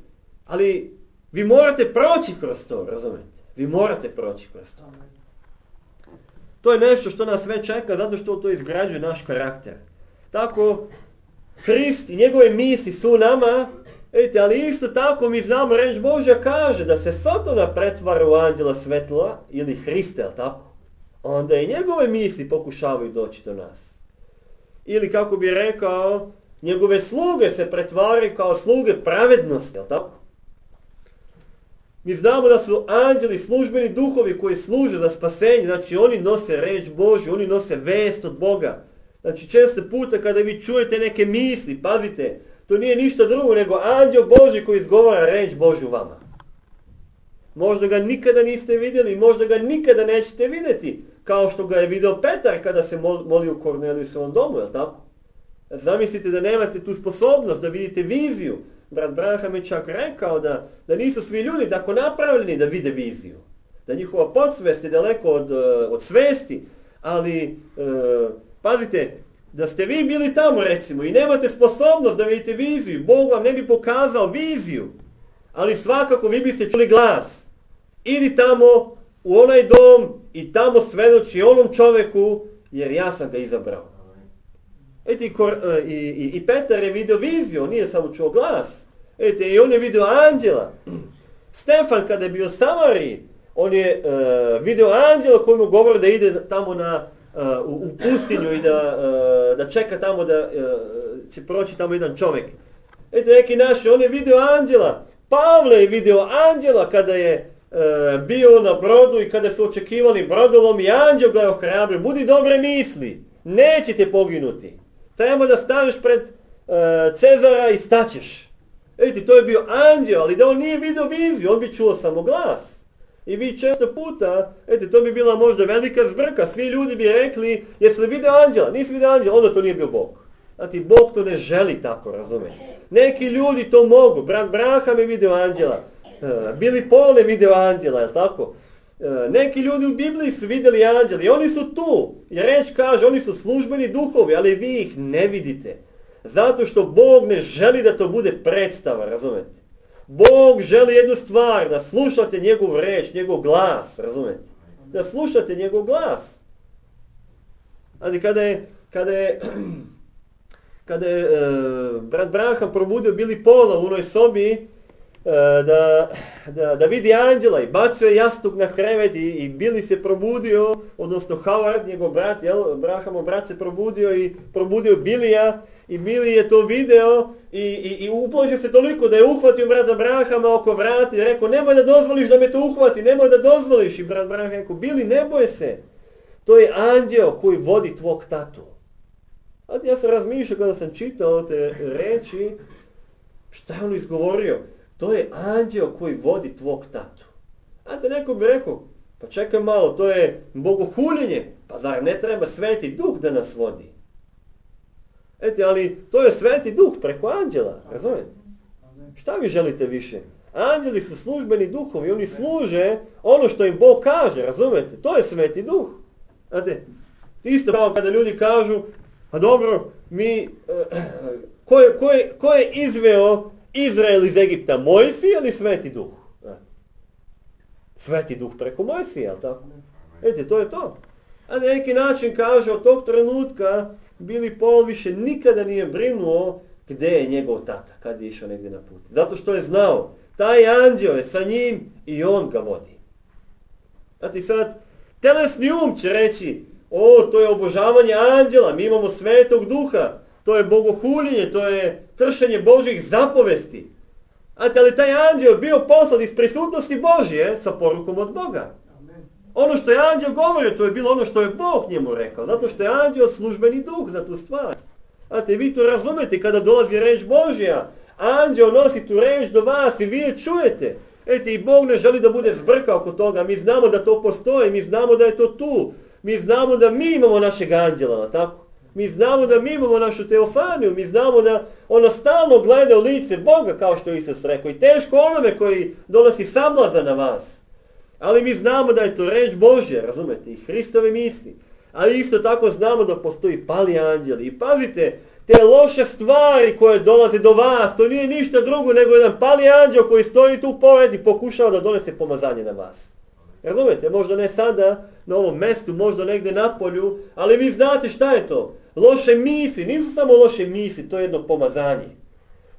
Ali vi morate proći kroz to, razumete? Vi morate proći kroz to. To je nešto što nas sve čeka, zato što to izgrađuje naš karakter. Tako, Hrist i njegove misli su u nama, vidite, ali isto tako mi znamo, reč Božja kaže da se Sotona pretvara u anđela svetla, ili Hrista, jel tako? Onda i njegove misli pokušavaju doći do nas. Ili kako bi rekao, njegove sluge se pretvaraju kao sluge pravednosti, jel tako? Mi znamo da su anđeli službeni duhovi koji služe za spasenje, znači oni nose reč Božju, oni nose vest od Boga. Znači često puta kada vi čujete neke misli, pazite, to nije ništa drugo nego anđel Božji koji izgovara reč Božju vama. Možda ga nikada niste vidjeli, možda ga nikada nećete vidjeti, kao što ga je video Petar kada se molio u Kornelijusovom domu, jel tako? Zamislite da nemate tu sposobnost da vidite viziju. Brat Branham je čak rekao da, da nisu svi ljudi tako napravljeni da vide viziju. Da njihova podsvest je daleko od, od svesti, ali e, pazite, da ste vi bili tamo recimo i nemate sposobnost da vidite viziju, Bog vam ne bi pokazao viziju, ali svakako vi biste čuli glas. Idi tamo u onaj dom i tamo svedoči onom čoveku, jer ja sam ga izabrao. Eti, i, i, i Petar je vidio viziju, on nije samo čuo glas. Eti, i on je vidio anđela. Stefan kada je bio u Samariji, on je uh, vidio anđela koji mu govori da ide tamo na, uh, u, u pustinju i da, uh, da čeka tamo da uh, će proći tamo jedan čovjek. Eti, neki naši, on je vidio anđela. Pavle je vidio anđela kada je uh, bio na brodu i kada su očekivali brodolom i anđel ga je ohrabrio. Budi dobre misli, nećete poginuti. Treba da staneš pred uh, Cezara i staćeš. Vidite, to je bio anđel, ali da on nije vidio viziju, on bi čuo samo glas. I vi često puta, vidite, to bi bila možda velika zbrka, svi ljudi bi rekli, jesi li vidio anđela? Nisi vidio anđela, onda to nije bio Bog. Znači, Bog to ne želi tako, razumiješ. Neki ljudi to mogu, brat Branham je vidio anđela, uh, Billy Paul je vidio anđela, je li tako? Uh, neki ljudi u Bibliji su vidjeli anđeli i oni su tu. I reč kaže, oni su službeni duhovi, ali vi ih ne vidite. Zato što Bog ne želi da to bude predstava, razumete? Bog želi jednu stvar, da slušate njegov reč, njegov glas, razumete? Da slušate njegov glas. Ali kada je, kada je, kada je uh, brat Branham probudio Billy Paula u onoj sobi, Da, da, da vidi anđela i bacio je jastuk na krevet i, i Billy se probudio, odnosno Howard, njegov brat, jel, Branhamov brat se probudio i probudio Billya i Billy je to video i, i, i upložio se toliko da je uhvatio brata Branhama oko vrata i rekao nemoj da dozvoliš da me to uhvati, nemoj da dozvoliš. I brat Branham rekao, Billy, ne boj se, to je anđeo koji vodi tvog tatu. A ja sam razmišljao kada sam čitao te reči, šta je on izgovorio? To je anđeo koji vodi tvog tatu. A te neko bi rekao, pa čekaj malo, to je bogohuljenje. Pa zar ne treba Sveti Duh da nas vodi? Eti, ali to je Sveti Duh preko anđela, razumijete? Šta vi želite više? Anđeli su službeni duhovi, oni služe ono što im Bog kaže, razumijete? To je Sveti Duh. Znate, Isto kao kada ljudi kažu, a dobro, mi, ko je, ko je, ko je izveo Izrael iz Egipta, Mojsije ili Sveti Duh? Sveti Duh preko Mojsije, jel tako? Vidite, to je to. A na neki način kaže, od tog trenutka Billy Paul više nikada nije brinuo gdje je njegov tata, kad je išao negdje na put. Zato što je znao, taj anđeo je sa njim i on ga vodi. Znate, sad, telesni um će reći, o, to je obožavanje anđela, mi imamo Svetog Duha, to je bogohuljenje, to je kršenje Božjih zapovesti. Znate, ali taj anđeo bio poslan iz prisutnosti Božje sa porukom od Boga. Ono što je anđeo govorio, to je bilo ono što je Bog njemu rekao, zato što je anđeo službeni duh za tu stvar. Znate, vi to razumete kada dolazi reč Božja, anđeo nosi tu reč do vas i vi je čujete. Ete, i Bog ne želi da bude zbrka oko toga, mi znamo da to postoji, mi znamo da je to tu, mi znamo da mi imamo našeg anđela, tako? Mi znamo da mi imamo našu teofaniju, mi znamo da ono stalno gleda u lice Boga, kao što je Isus rekao, i teško onome koji donosi sablaza na vas. Ali mi znamo da je to reč Božja, razumete, i Hristove misli. Ali isto tako znamo da postoji pali anđeli. I pazite, te loše stvari koje dolaze do vas, to nije ništa drugo nego jedan pali anđel koji stoji tu pored i pokušava da donese pomazanje na vas. Razumete, možda ne sada na ovom mjestu, možda negdje na polju, ali vi znate šta je to. Loše misli, nisu samo loše misli, to je jedno pomazanje.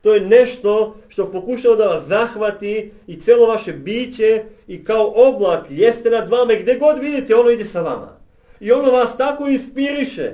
To je nešto što pokušava da vas zahvati i cijelo vaše biće i kao oblak jeste nad vama i gdje god vidite ono ide sa vama. I ono vas tako inspiriše.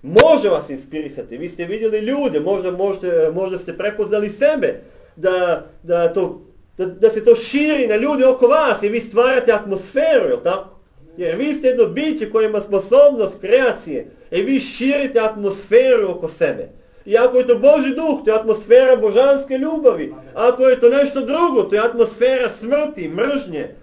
Može vas inspirisati. Vi ste vidjeli ljude, možda, možda, možda ste prepoznali sebe da, da, to, da, da se to širi na ljude oko vas i vi stvarate atmosferu, jel tako? Jer vi ste jedno biće koje ima sposobnost kreacije i vi širite atmosferu oko sebe. I ako je to Božji duh, to je atmosfera božanske ljubavi. Ako je to nešto drugo, to je atmosfera smrti, mržnje, e,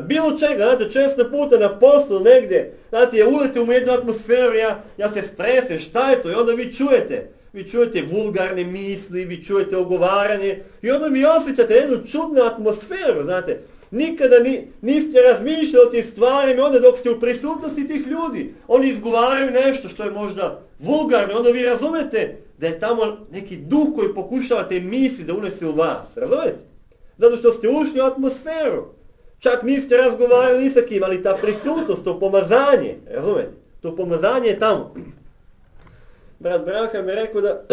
bilo čega. Znate, često puta na poslu negdje, znate, ja uletim u jednu atmosferu, ja, ja se stresem, šta je to? I onda vi čujete, vi čujete vulgarne misli, vi čujete ogovaranje i onda vi osjećate jednu čudnu atmosferu, znate. Nikada ni, niste razmišljali o tih stvarima, onda dok ste u prisutnosti tih ljudi, oni izgovaraju nešto što je možda vulgarno, onda vi razumete da je tamo neki duh koji pokušava te misli da unese u vas, razumete? Zato što ste ušli u atmosferu, čak niste razgovarali ni sa kim, ali ta prisutnost, to pomazanje, razumete? To pomazanje je tamo. Brat Branham je rekao da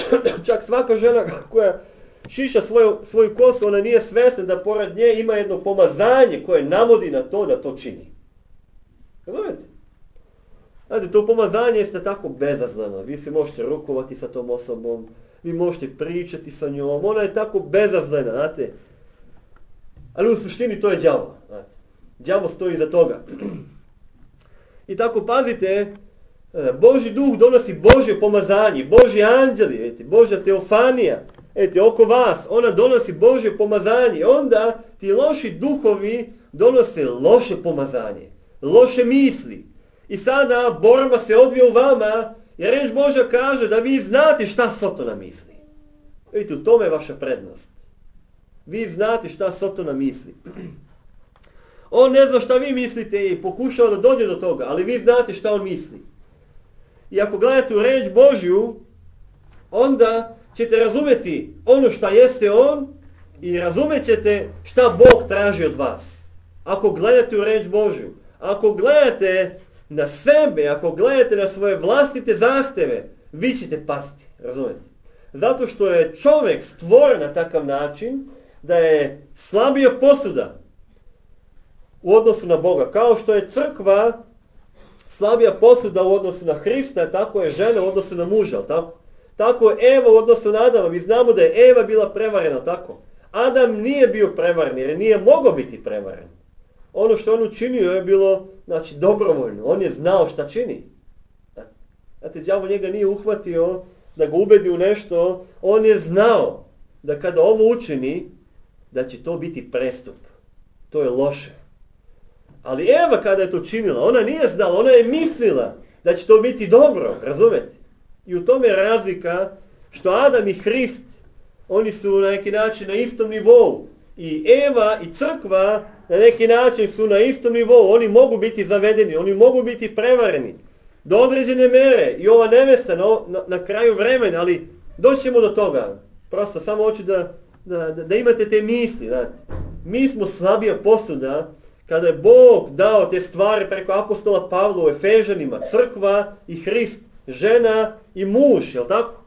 čak svaka žena koja šiša svoju, svoju kosu, ona nije svjesna da pored nje ima jedno pomazanje koje navodi na to da to čini. Razumete? Znate, to pomazanje jeste tako bezazleno. Vi se možete rukovati sa tom osobom, vi možete pričati sa njom, ona je tako bezazlena, znate. Ali u suštini to je đavo, znate. Đavo stoji iza toga. I tako pazite, Božji duh donosi Božje pomazanje, Božji anđeli, vidite, Božja teofanija, vidite, oko vas, ona donosi Božje pomazanje. Onda ti loši duhovi donose loše pomazanje, loše misli. I sada borba se odvija u vama, jer reč Božja kaže da vi znate šta Sotona misli. Vidite, u tome je vaša prednost. Vi znate šta Sotona misli. On ne zna šta vi mislite i pokušava da dođe do toga, ali vi znate šta on misli. I ako gledate u reč Božju, onda ćete razumjeti ono šta jeste on i razumjet ćete šta Bog traži od vas. Ako gledate u reč Božju, ako gledate na sebe, ako gledate na svoje vlastite zahteve, vi ćete pasti, razumijete? Zato što je čovjek stvoren na takav način da je slabija posuda u odnosu na Boga. Kao što je crkva slabija posuda u odnosu na Hrista, tako je žena u odnosu na muža, tako? Tako je Eva u odnosu na Adama. Mi znamo da je Eva bila prevarena, tako? Adam nije bio prevaren jer nije mogao biti prevaren. Ono što on učinio je bilo, znači, dobrovoljno. On je znao šta čini. Znate, đavo njega nije uhvatio da ga ubedi u nešto. On je znao da kada ovo učini, da će to biti prestup. To je loše. Ali Eva kada je to činila, ona nije znala, ona je mislila da će to biti dobro, razumete? I u tome je razlika što Adam i Hrist, oni su na neki način na istom nivou. I Eva i crkva na neki način su na istom nivou. Oni mogu biti zavedeni, oni mogu biti prevareni. do određene mere i ova nevesta na, na, na kraju vremena, ali doćemo do toga. Prosto samo hoću da, da, da, da imate te misli. Znate. Mi smo slabija posuda kada je Bog dao te stvari preko apostola Pavla u Efežanima, crkva i Hrist, žena i muž, jel tako?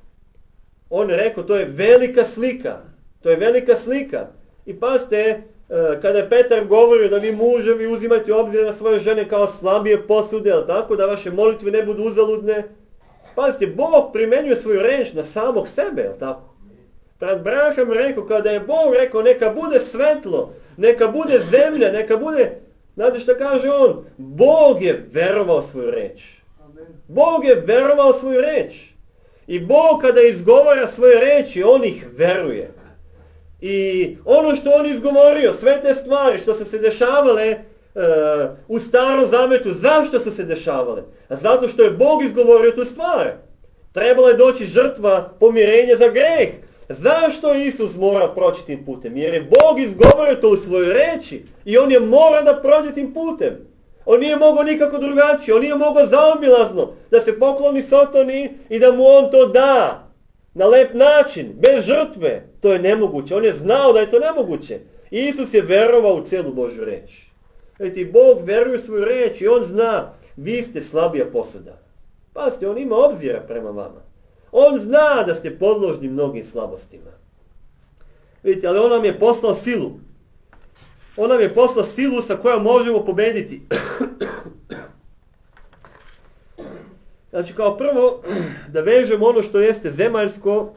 On je rekao, to je velika slika. To je velika slika. I pazite, kada je Petar govorio da vi muževi uzimajte obzir na svoje žene kao slabije posude, jel tako? Da vaše molitve ne budu uzaludne. Pazite, Bog primenjuje svoju reč na samog sebe, jel tako? Brat Branham rekao, kada je Bog rekao neka bude svetlo, neka bude zemlja, neka bude, znate šta kaže on? Bog je verovao svoju reč. Bog je verovao svoju reč. I Bog kada izgovara svoje reči, on ih veruje. I ono što on izgovorio, sve te stvari što su se dešavale uh, u starom zavetu, zašto su se dešavale? A zato što je Bog izgovorio tu stvar. Trebala je doći žrtva pomirenja za greh. Zašto Isus mora proći tim putem? Jer je Bog izgovorio to u svojoj reči i on je mora da prođe tim putem. On nije mogao nikako drugačije, on nije mogao zaobilazno da se pokloni Sotoni i da mu on to da na lep način, bez žrtve. To je nemoguće, on je znao da je to nemoguće. Isus je verovao u cijelu Božju reč. Vidite, Bog veruje u svoju reč i on zna, vi ste slabija posuda. Pazite, on ima obzira prema vama. On zna da ste podložni mnogim slabostima. Vidite, ali on nam je poslao silu. On nam je poslao silu sa kojom možemo pobediti. Znači, kao prvo, da vežemo ono što jeste zemaljsko,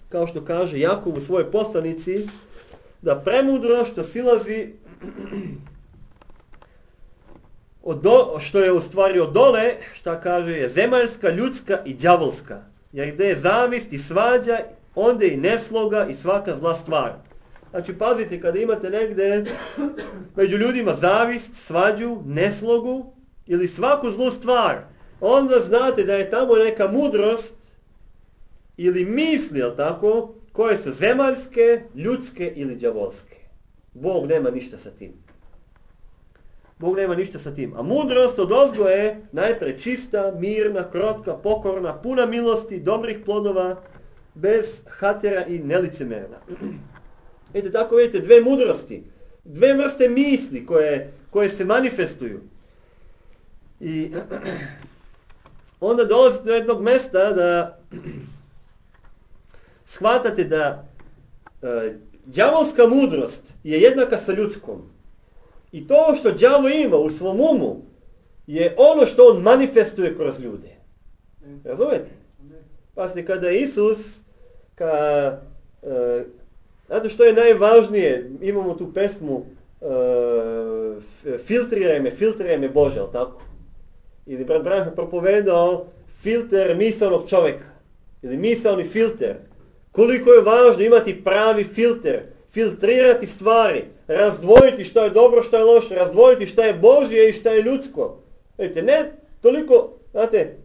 kao što kaže Jakov u svojoj poslanici, da premudro što silazi od do, što je u stvari od dole, šta kaže, je zemaljska, ljudska i đavolska. Jer gdje je zavist i svađa, onda i nesloga i svaka zla stvar. Znači, pazite, kada imate negdje među ljudima zavist, svađu, neslogu ili svaku zlu stvar, onda znate da je tamo neka mudrost ili misli, jel tako, koje su zemaljske, ljudske ili đavolske. Bog nema ništa sa tim. Bog nema ništa sa tim. A mudrost odozgo je najpre čista, mirna, krotka, pokorna, puna milosti, dobrih plodova, bez hatera i nelicemerna. Vidite, tako vidite, dve mudrosti, dve vrste misli koje, koje se manifestuju. I onda dolazite do jednog mesta da shvatate da e, đavolska mudrost je jednaka sa ljudskom. I to što đavo ima u svom umu je ono što on manifestuje kroz ljude. Razumete? Pasite, kada je Isus, ka, e, znate što je najvažnije, imamo tu pesmu e, filtriraj me, filtriraj me Bože, ali tako? Ili brat Branham propovedao filter misalnog čovjeka. Ili misalni filter. Koliko je važno imati pravi filter. Filtrirati stvari. Razdvojiti što je dobro, što je loše. Razdvojiti što je Božje i što je ljudsko. Vidite, ne toliko, znate,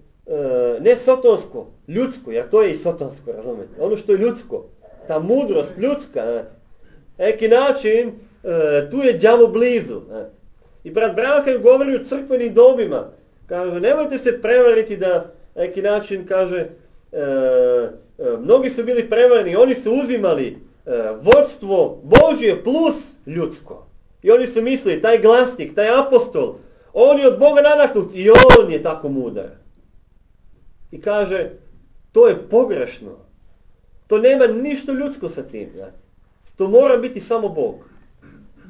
ne sotonsko, ljudsko, jer to je i sotonsko, razumete. Ono što je ljudsko. Ta mudrost ljudska. Na neki način, tu je đavo blizu. I brat Branham govori u crkvenim dobima. Kaže, nemojte se prevariti da, neki način, kaže, e, e, mnogi su bili prevareni, oni su uzimali e, vodstvo Božje plus ljudsko. I oni su mislili, taj glasnik, taj apostol, on je od Boga nadahnut i on je tako mudar. I kaže, to je pogrešno. To nema ništa ljudsko sa tim. Ja. To mora biti samo Bog.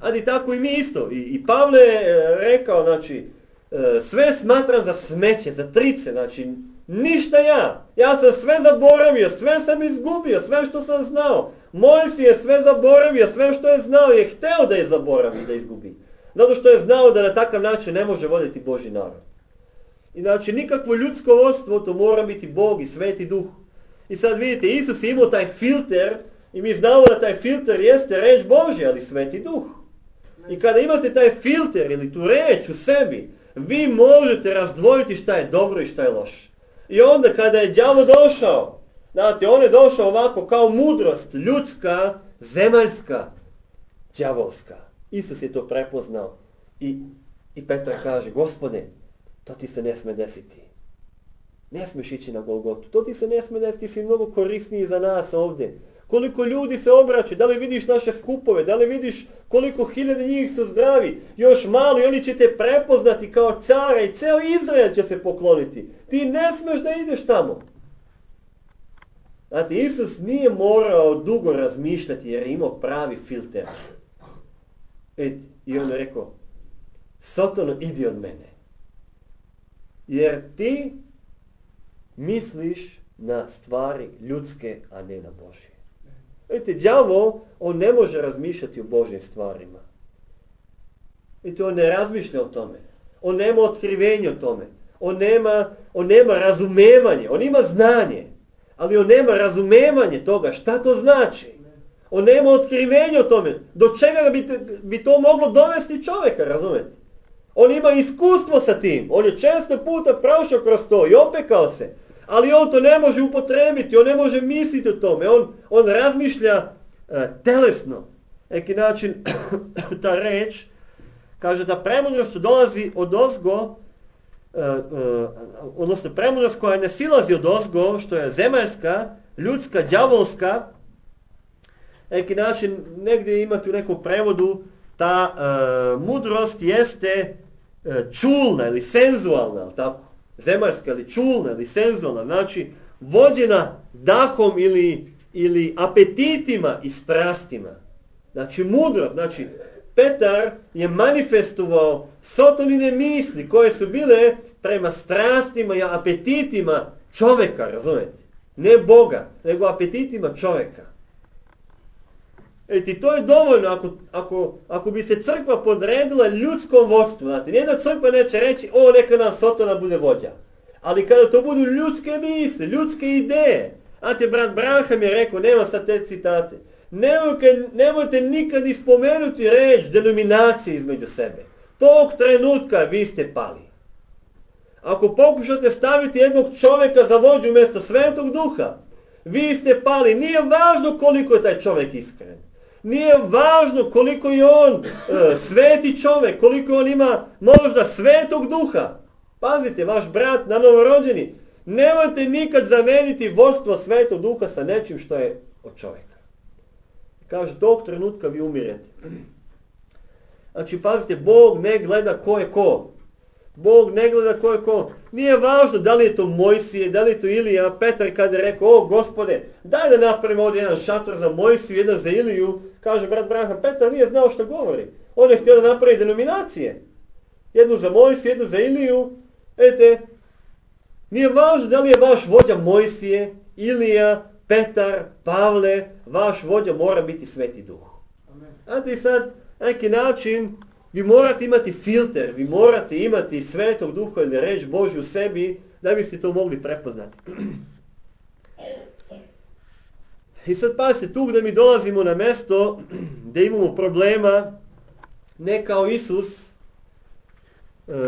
Ali tako i mi isto. I, i Pavle je rekao, znači, sve smatram za smeće, za trice, znači ništa ja. Ja sam sve zaboravio, sve sam izgubio, sve što sam znao. Mojsije je sve zaboravio, sve što je znao je hteo da je zaboravi, da izgubi. Zato što je znao da na takav način ne može voditi Božji narod. I znači nikakvo ljudsko vodstvo, to mora biti Bog i Sveti Duh. I sad vidite, Isus je imao taj filter i mi znamo da taj filter jeste reč Božja, ali Sveti Duh. I kada imate taj filter ili tu reč u sebi, vi možete razdvojiti šta je dobro i šta je loše. I onda kada je đavo došao, znate, on je došao ovako kao mudrost, ljudska, zemaljska, đavolska. Isus je to prepoznao. I, i Petar kaže, Gospode, To ti se ne sme desiti. Ne smiješ ići na Golgotu. To ti se ne sme desiti, ti si mnogo korisniji za nas ovdje. Koliko ljudi se obraća, da li vidiš naše skupove, da li vidiš koliko hiljade njih su zdravi, još malo i oni će te prepoznati kao cara i ceo Izrael će se pokloniti. Ti ne smiješ da ideš tamo. Znate, Isus nije morao dugo razmišljati jer je imao pravi filter. Et, I on je rekao, Sotano, idi od mene. Jer ti misliš na stvari ljudske, a ne na Božje. Vidite, đavo, on ne može razmišljati o Božjim stvarima. Vidite, on ne razmišlja o tome. On nema otkrivenje o tome. On nema, on nema razumevanje. On ima znanje. Ali on nema razumevanje toga. Šta to znači? On nema otkrivenje o tome. Do čega bi, bi to moglo dovesti čovjeka, razumete? On ima iskustvo sa tim. On je često puta prošao kroz to i opekao se. Ali on to ne može upotrebiti, on ne može misliti o tome, on, on razmišlja uh, telesno. Neki način ta reč kaže da premudrost dolazi od ozgo, uh, uh, odnosno premudrost koja ne silazi od ozgo, što je zemaljska, ljudska, đavolska. Neki način, negdje imate u nekom prevodu, ta uh, mudrost jeste uh, čulna ili senzualna, ali tako? Zemaljska ili čulna ili senzualna, znači vođena dahom ili, ili apetitima i strastima. Znači mudrost, znači Petar je manifestovao Sotonine misli koje su bile prema strastima i apetitima čovjeka, razumijete? Ne Boga, nego apetitima čovjeka. I to je dovoljno ako, ako, ako bi se crkva podredila ljudskom vodstvu. Znate, nijedna crkva neće reći, o, neka nam Sotona bude vođa. Ali kada to budu ljudske misli, ljudske ideje. Znate, brat Branham je rekao, nema sad te citate, nemojte, nemojte nikad ispomenuti reč denominacije između sebe. Tog trenutka vi ste pali. Ako pokušate staviti jednog čovjeka za vođu umjesto Svetog Duha, vi ste pali. Nije važno koliko je taj čovjek iskren. Nije važno koliko je on e, sveti čovjek, koliko on ima možda Svetog Duha. Pazite, vaš brat na novorođeni, nemojte nikad zameniti vodstvo Svetog Duha sa nečim što je od čovjeka. Kaže, tog trenutka vi umirete. Znači, pazite, Bog ne gleda ko je ko. Bog ne gleda ko je ko. Nije važno da li je to Mojsije, da li je to Ilija. Petar kada je rekao, o Gospode, daj da napravimo ovdje jedan šator za Mojsiju, jedan za Iliju. Kaže brat Branham, Petar nije znao što govori. On je htio da napravi denominacije. Jednu za Mojsiju, jednu za Iliju. Ete, nije važno da li je vaš vođa Mojsije, Ilija, Petar, Pavle. Vaš vođa mora biti Sveti Duh. Znate i sad, neki način, vi morate imati filter, vi morate imati Svetog Duha ili reč Božju u sebi da biste to mogli prepoznati. I sad pazite, tu gdje mi dolazimo na mjesto gdje imamo problema, ne kao Isus,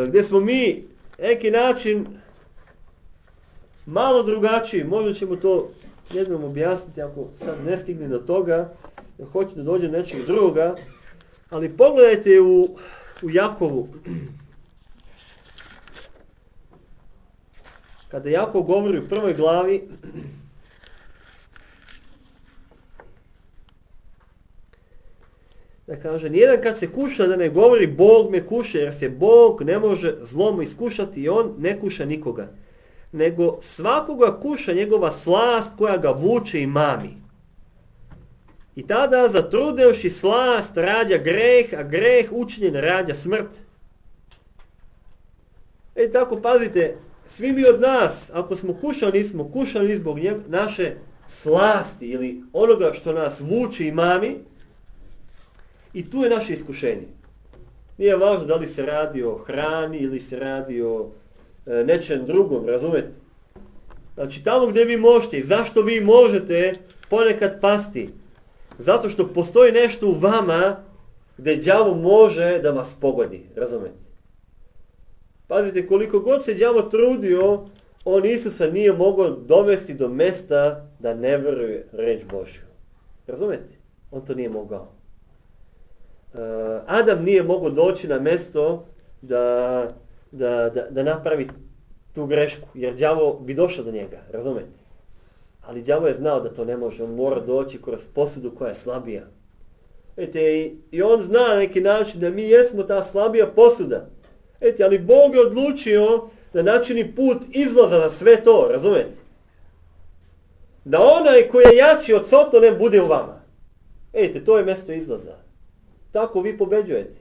gdje smo mi neki način malo drugačiji, možda ćemo to jednom objasniti ako sad ne stigne do toga, da hoću da dođe nečeg drugoga. Ali pogledajte u, u Jakovu. Kada Jakov govori u prvoj glavi, da kaže, nijedan kad se kuša da ne govori Bog me kuša, jer se Bog ne može zlom iskušati i on ne kuša nikoga. Nego svakoga kuša njegova slast koja ga vuče i mami. I tada zatrudevši slast rađa greh, a greh učinjen rađa smrt. E tako pazite, svi mi od nas, ako smo kušali, smo kušali zbog njeg, naše slasti ili onoga što nas vuče i mami. I tu je naše iskušenje. Nije važno da li se radi o hrani ili se radi o e, nečem drugom, razumete? Znači tamo gdje vi možete, zašto vi možete ponekad pasti? Zato što postoji nešto u vama gdje đavo može da vas pogodi, razumete? Pazite, koliko god se đavo trudio, on Isusa nije mogao dovesti do mjesta da ne veruje reč Božju. Razumete? On to nije mogao. Uh, Adam nije mogao doći na mjesto da, da, da, da napravi tu grešku, jer đavo bi došao do njega, razumete? Ali đavo je znao da to ne može, on mora doći kroz posudu koja je slabija. Ete, i, i on zna na neki način da mi jesmo ta slabija posuda. Ete, ali Bog je odlučio da načini put izlaza za sve to, razumete? Da onaj koji je jači od Sotone bude u vama. Ete, to je mjesto izlaza. Tako vi pobeđujete.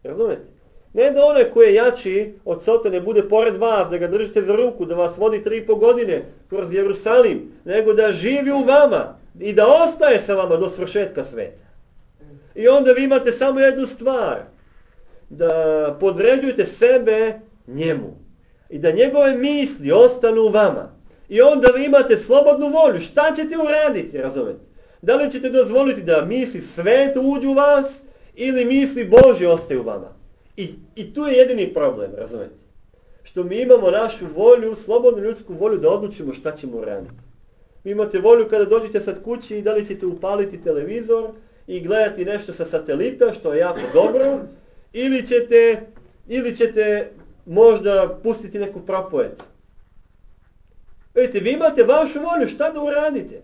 Razumete? Ne da onaj koji je jači od Sotone bude pored vas, da ga držite za ruku, da vas vodi tri i po godine kroz Jerusalim, nego da živi u vama i da ostaje sa vama do svršetka sveta. I onda vi imate samo jednu stvar, da podređujete sebe njemu i da njegove misli ostanu u vama. I onda vi imate slobodnu volju. Šta ćete uraditi, razumete? Da li ćete dozvoliti da misli sveta uđu u vas ili misli Božje ostaju u vama? I, I tu je jedini problem, razumete? Što mi imamo našu volju, slobodnu ljudsku volju da odlučimo šta ćemo uraditi. Vi imate volju kada dođete sad kući i da li ćete upaliti televizor i gledati nešto sa satelita, što je jako dobro, ili ćete, ili ćete možda pustiti neku propoved. Vidite, vi imate vašu volju šta da uradite.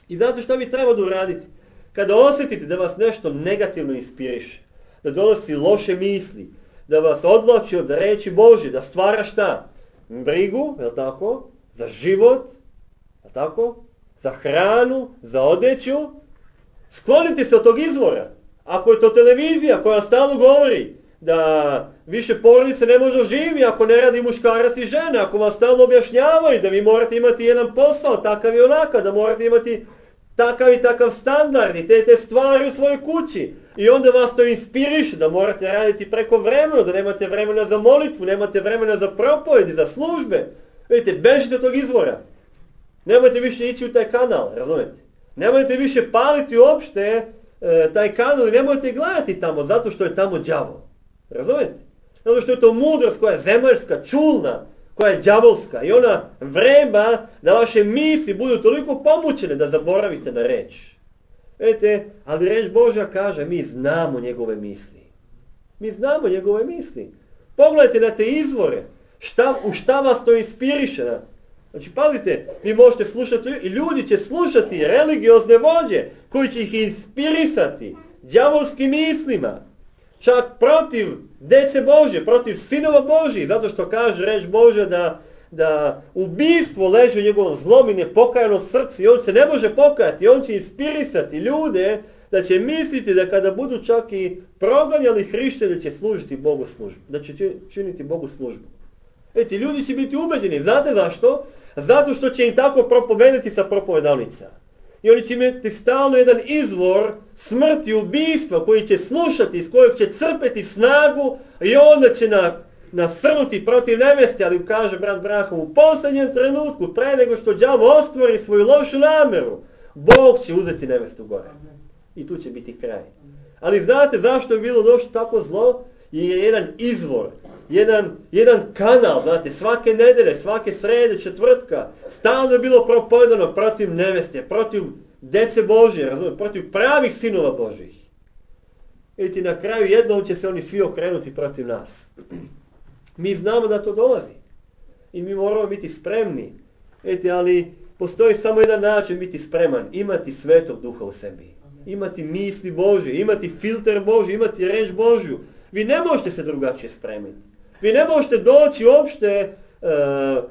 I znate šta vi treba da uradite? Kada osjetite da vas nešto negativno inspiriše, da donosi loše misli, da vas odvlači od reči Božje, da stvara šta? Brigu, je li tako? Za život, je li tako? Za hranu, za odjeću. Sklonite se od tog izvora. Ako je to televizija koja stalno govori da više porodice ne može živi ako ne radi muškarac i žena, ako vam stalno objašnjavaju da vi morate imati jedan posao, takav i onakav, da morate imati takav i takav standard i te, te stvari u svojoj kući. I onda vas to inspiriše da morate raditi preko vremena, da nemate vremena za molitvu, nemate vremena za propovedi, za službe. Vidite, bežite od tog izvora. Nemojte više ići u taj kanal, razumete? Nemojte više paliti uopšte e, taj kanal i nemojte gledati tamo, zato što je tamo đavo. Razumete? Zato što je to mudrost koja je zemaljska, čulna, koja je đavolska i ona vreba da vaše misli budu toliko pomućene da zaboravite na reč. Vidite, ali reč Božja kaže, mi znamo njegove misli. Mi znamo njegove misli. Pogledajte na te izvore, šta, u šta vas to inspiriše. Znači, pazite, vi možete slušati i ljudi će slušati religiozne vođe koji će ih inspirisati đavolskim mislima. Čak protiv dece Božje, protiv sinova Božji, zato što kaže reč Božja da, da ubistvo leži u njegovom zlom i nepokajano srcu i on se ne može pokajati. On će inspirisati ljude da će misliti da kada budu čak i proganjali hrišćane da će služiti Bogu službu, da će činiti Bogu službu. Eti, ljudi će biti ubeđeni. Znate zašto? Zato što će im tako propovedati sa propovedalnica. I oni će imati stalno jedan izvor smrti, ubistva koji će slušati, iz kojeg će crpeti snagu i onda će na, nasrnuti protiv neveste, ali kaže brat Brahom, u posljednjem trenutku, pre nego što đavo ostvari svoju lošu nameru, Bog će uzeti nevestu gore. I tu će biti kraj. Ali znate zašto je bilo došlo tako zlo? Jer je jedan izvor, jedan, jedan kanal, znate, svake nedelje, svake srede, četvrtka, stalno je bilo propovedano protiv neveste, protiv dece Božje, razumije, protiv pravih sinova Božjih. I na kraju jednom će se oni svi okrenuti protiv nas. Mi znamo da to dolazi. I mi moramo biti spremni. Eti, ali postoji samo jedan način biti spreman. Imati Svetog Duha u sebi. Imati misli Božje, imati filter Božji, imati reč Božju. Vi ne možete se drugačije spremiti. Vi ne možete doći uopšte uh,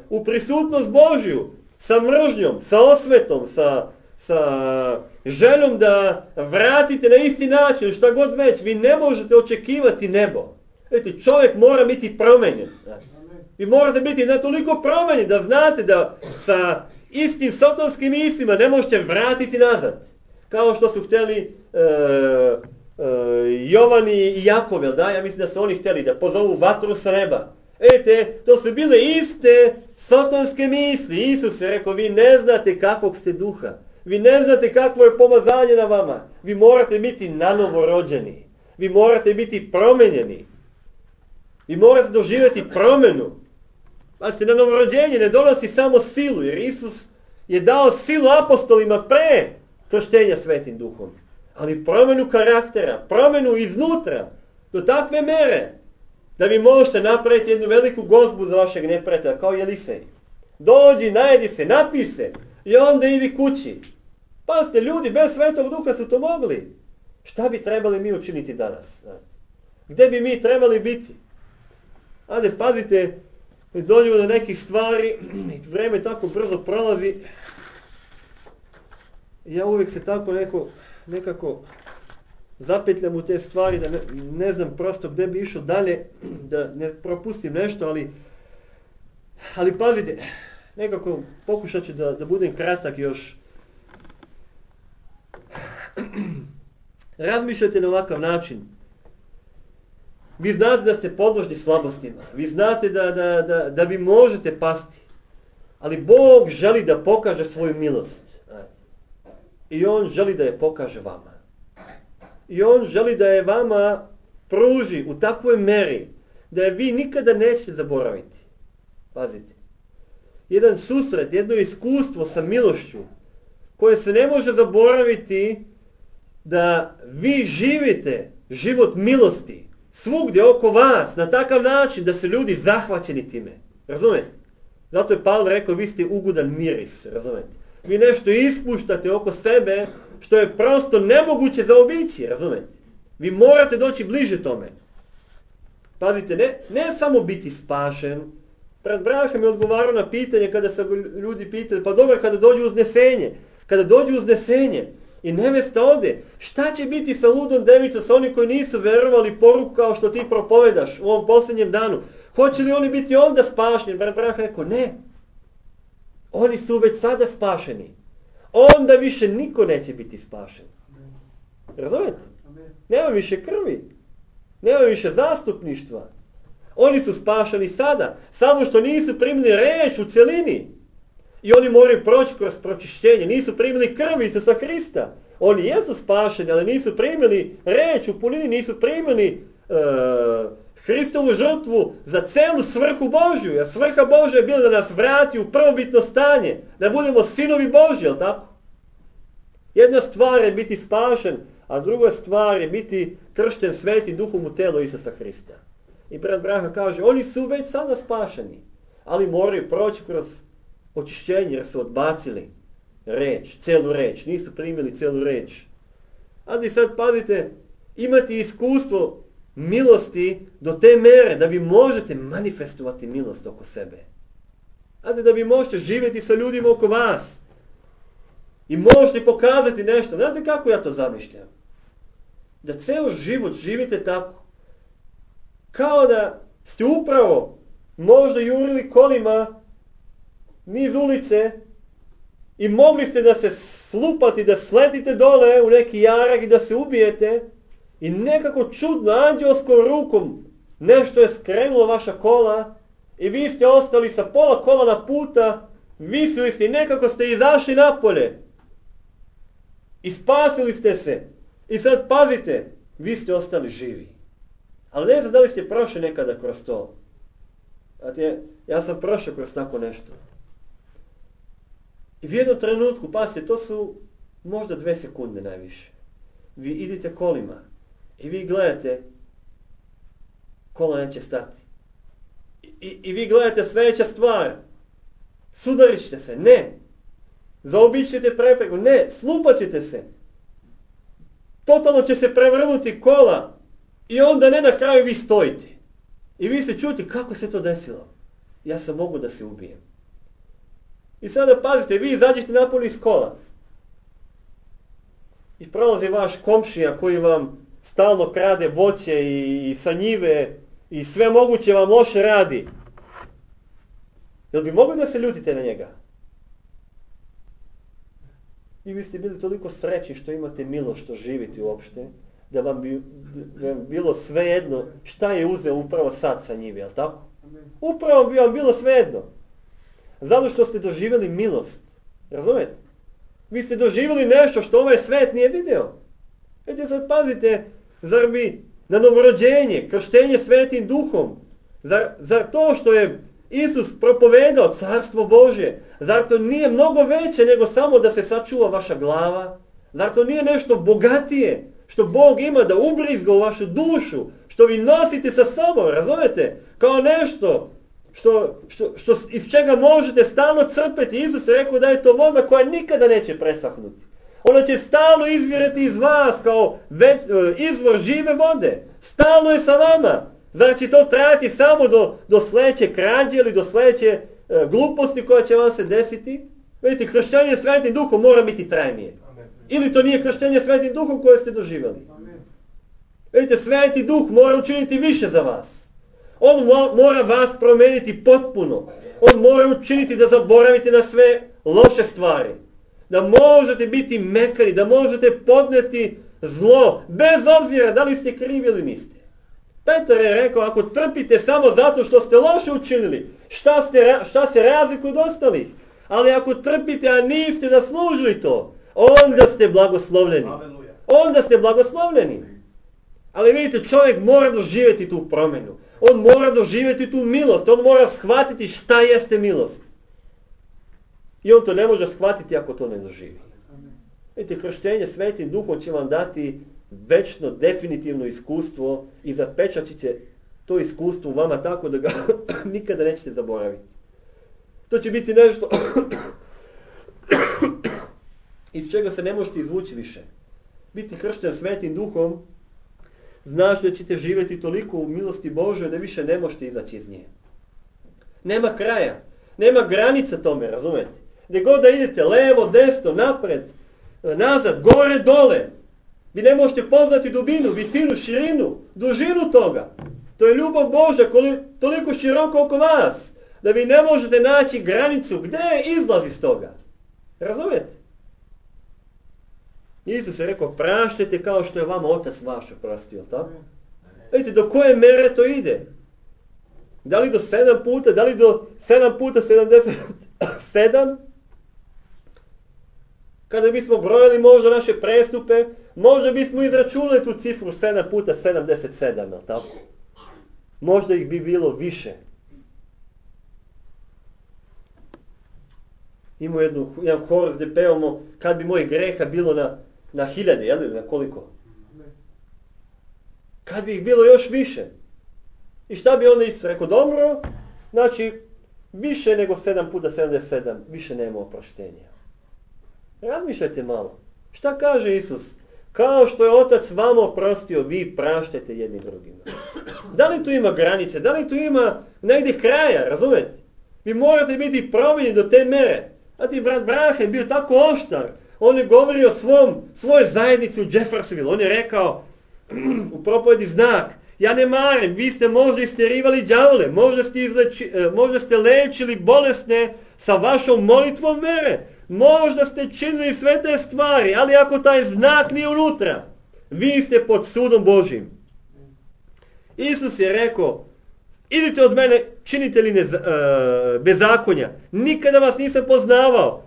u prisutnost Božju sa mržnjom, sa osvetom, sa, sa željom da vratite na isti način, šta god već. Vi ne možete očekivati nebo. Vidite, čovjek mora biti promenjen. Vi morate biti ne toliko promenjeni da znate da sa istim sotonskim mislima ne možete vratiti nazad. Kao što su htjeli uh, Uh, Jovan i Jakov, jel da? Ja mislim da su oni htjeli da pozovu vatru sa neba. Vidite, to su bile iste sotonske misli. Isus je rekao, vi ne znate kakvog ste duha. Vi ne znate kakvo je pomazanje na vama. Vi morate biti nanovo rođeni. Vi morate biti promenjeni. Vi morate doživjeti promjenu. Pazite, na novorođenje ne donosi samo silu, jer Isus je dao silu apostolima pre krštenja Svetim Duhom. Ali promjenu karaktera, promjenu iznutra, do takve mere da vi možete napraviti jednu veliku gozbu za vašeg neprijatelja, kao Jelisej. Dođi, najedi se, napij se i onda idi kući. Pazite, ljudi bez Svetog Duha su to mogli. Šta bi trebali mi učiniti danas? Gdje bi mi trebali biti? Ajde, pazite, dođemo do nekih stvari i vrijeme tako brzo prolazi. Ja uvijek se tako neko, nekako zapetljam u te stvari, da ne, ne znam prosto gdje bi išao dalje, da ne propustim nešto, ali, ali pazite, nekako pokušat ću da, da budem kratak još. Razmišljajte na ovakav način. Vi znate da ste podložni slabostima, vi znate da, da, da, da vi možete pasti, ali Bog želi da pokaže svoju milost. I On želi da je pokaže vama. I On želi da je vama pruži u takvoj meri da je vi nikada nećete zaboraviti. Pazite. Jedan susret, jedno iskustvo sa milošću koje se ne može zaboraviti, da vi živite život milosti svugdje oko vas na takav način da se ljudi zahvaćeni time. Razumete? Zato je Pavle rekao, vi ste ugodan miris. Razumete? Vi nešto ispuštate oko sebe što je prosto nemoguće zaobići. Razumete? Vi morate doći bliže tome. Pazite, ne, ne samo biti spašen. Pred Brahom je odgovarao na pitanje kada se ljudi pitali, pa dobro, kada dođu uznesenje. Kada dođu uznesenje i nevesta ode, šta će biti sa ludom devicom, sa oni koji nisu verovali poruku kao što ti propovedaš u ovom posljednjem danu? Hoće li oni biti onda spašeni? Brat Brahom rekao, ne. Oni su već sada spašeni. Onda više niko neće biti spašen. Razumete? Nema više krvi. Nema više zastupništva. Oni su spašeni sada, samo što nisu primili reč u celini. I oni moraju proći kroz pročišćenje. Nisu primili krvi Isusa Hrista. Oni jesu spašeni, ali nisu primili reč u punini, nisu primili uh, Hristovu žrtvu za celu svrhu Božju. Jer svrha Božja je bila da nas vrati u prvobitno stanje. Da budemo sinovi Božji, jel tako? Jedna stvar je biti spašen, a druga stvar je biti kršten Svetim Duhom u telo Isusa Hrista. I brat Braha kaže, oni su već sada spašeni, ali moraju proći kroz očišćenje jer su odbacili reč, celu reč, nisu primili celu reč. Ali sad pazite, imati iskustvo milosti do te mere da vi možete manifestovati milost oko sebe. Ali da vi možete živjeti sa ljudima oko vas. I možete pokazati nešto. Znate kako ja to zamišljam? Da ceo život živite tako. Kao da ste upravo možda jurili kolima niz ulice i mogli ste da se slupati, da sletite dole u neki jarak i da se ubijete i nekako čudno anđelskom rukom nešto je skrenulo vaša kola i vi ste ostali sa pola kola na puta, visili ste i nekako ste izašli napolje i spasili ste se. I sad pazite, vi ste ostali živi. Ali ne znam da li ste prošli nekada kroz to. Znate, ja sam prošao kroz tako nešto. I u jednom trenutku, pazite, to su možda dve sekunde najviše. Vi idete kolima i vi gledate, kola neće stati. I, i, i vi gledate sljedeća stvar. Sudarit ćete se, ne. Zaobići ćete prepreku, ne. Slupat ćete se. Totalno će se prevrnuti kola. I onda ne na kraju vi stojite. I vi se čuti kako se to desilo. Ja sam mogu da se ubijem. I sada pazite, vi izađete napolje iz kola. I prolazi vaš komšija koji vam stalno krade voće i, i sa njive i sve moguće vam loše radi. Jel bi mogli da se ljutite na njega? I vi ste bili toliko srećni što imate milost što živite uopšte, da vam bi da vam bilo svejedno šta je uzeo upravo sad sa njive, jel tako? Upravo bi vam bilo svejedno. Zato što ste doživjeli milost. Razumete? Vi ste doživjeli nešto što ovaj svet nije video. Vidite sad, pazite, zar bi na novorođenje, krštenje Svetim Duhom, zar, zar to što je Isus propovedao Carstvo Božje, zar to nije mnogo veće nego samo da se sačuva vaša glava? Zar to nije nešto bogatije što Bog ima da ubrizga u vašu dušu, što vi nosite sa sobom, razumete? Kao nešto što, što, što iz čega možete stalno crpeti. Isus je rekao da je to voda koja nikada neće presahnuti. Ona će stalno izvirati iz vas kao već, izvor žive vode. Stalno je sa vama. Zar će to trajati samo do, do sljedeće krađe ili do sljedeće e, gluposti koja će vam se desiti? Vidite, krštenje Svetim Duhom mora biti trajnije. Ili to nije krštenje Svetim Duhom koje ste doživjeli. Vidite, Sveti Duh mora učiniti više za vas. On mora vas promijeniti potpuno. On mora učiniti da zaboravite na sve loše stvari. Da možete biti mekani, da možete podnijeti zlo, bez obzira da li ste krivi ili niste. Petar je rekao, ako trpite samo zato što ste loše učinili, šta, ste, šta se razlikuje od ostalih? Ali ako trpite, a niste zaslužili to, onda ste blagoslovljeni. Onda ste blagoslovljeni. Ali vidite, čovjek mora doživjeti tu promjenu. On mora doživjeti tu milost. On mora shvatiti šta jeste milost. I on to ne može shvatiti ako to ne doživi. Vidite, krštenje Svetim Duhom će vam dati večno, definitivno iskustvo i zapečatit će to iskustvo u vama tako da ga nikada nećete zaboraviti. To će biti nešto iz čega se ne možete izvući više. Biti kršten Svetim Duhom znaš da ćete živjeti toliko u milosti Božoj da više ne možete izaći iz nje. Nema kraja, nema granica tome, razumete? Gdje god da idete, levo, desno, napred, nazad, gore, dole, vi ne možete poznati dubinu, visinu, širinu, dužinu toga. To je ljubav Božja toliko široko oko vas, da vi ne možete naći granicu gdje je izlaz iz toga. Razumete? Isus je rekao, praštajte kao što je vama Otac vaš oprostio, tako? Vidite, do koje mere to ide? Da li do sedam puta, da li do sedam puta sedamdeset sedam? Kada bismo brojali možda naše prestupe, možda bismo izračunali tu cifru sedam puta sedamdeset sedam, tako? Možda ih bi bilo više. Imamo jednu, jedan horos gdje pevamo kad bi mojih greha bilo na, na hiljade, jel li, na koliko? Kad bi ih bilo još više. I šta bi onda Isus rekao? Dobro, znači više nego sedam puta sedamdeset sedam, više nema oproštenja. Razmišljajte malo. Šta kaže Isus? Kao što je Otac vama oprostio, vi praštajte jedni drugima. Da li tu ima granice? Da li tu ima negdje kraja? Razumete? Vi morate biti promijenjeni do te mere. A ti brat Brahe bio tako oštar. On je govorio svom, svojoj zajednici u Jeffersonville. On je rekao u propovedi Znak, ja ne marim, vi ste možda isterivali đavole, možda ste, izleči, možda ste lečili bolesne sa vašom molitvom mere, možda ste činili sve te stvari, ali ako taj znak nije unutra, vi ste pod sudom Božjim. Isus je rekao, idite od mene, činite li ne, uh, bezakonja, nikada vas nisam poznavao,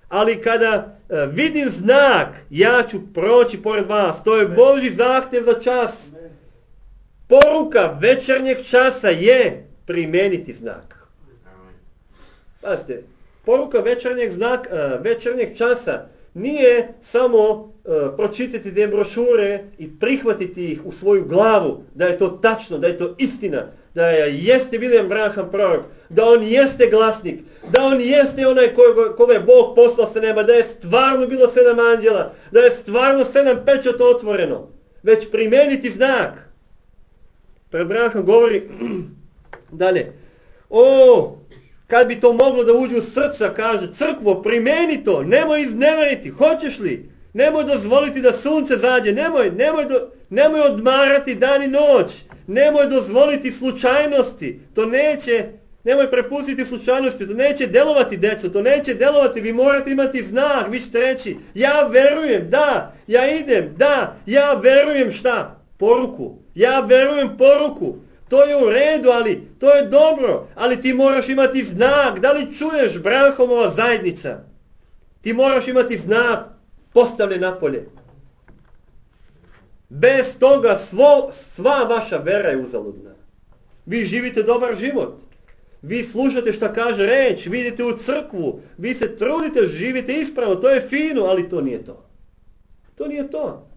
ali kada uh, vidim znak, ja ću proći pored vas, to je Božji zahtjev za čas. Poruka večernjeg časa je primijeniti znak. Pazite, poruka večernjeg, znak, uh, večernjeg časa nije samo uh, pročitati te brošure i prihvatiti ih u svoju glavu, da je to tačno, da je to istina, da je, jeste William Branham prorok, da on jeste glasnik, da on jeste onaj koga, koga je Bog poslao sa neba, da je stvarno bilo sedam anđela, da je stvarno sedam pečata otvoreno, već primijeniti znak. Pred Branham govori dalje, o, kad bi to moglo da uđe u srca, kaže, crkvo, primijeni to, nemoj izneveriti, hoćeš li? Nemoj dozvoliti da sunce zađe, nemoj, nemoj, do, nemoj odmarati dan i noć, nemoj dozvoliti slučajnosti, to neće, nemoj prepustiti slučajnosti, to neće delovati, deco, to neće delovati, vi morate imati znak, vi ćete reći, ja verujem, da, ja idem, da, ja verujem šta? Poruku, ja verujem poruku, to je u redu, ali to je dobro, ali ti moraš imati znak, da li čuješ Branhamova zajednica? Ti moraš imati znak postavljen napolje. Bez toga svo, sva vaša vera je uzaludna. Vi živite dobar život. Vi slušate šta kaže reč, vidite u crkvu, vi se trudite, živite ispravno, to je fino, ali to nije to. To nije to.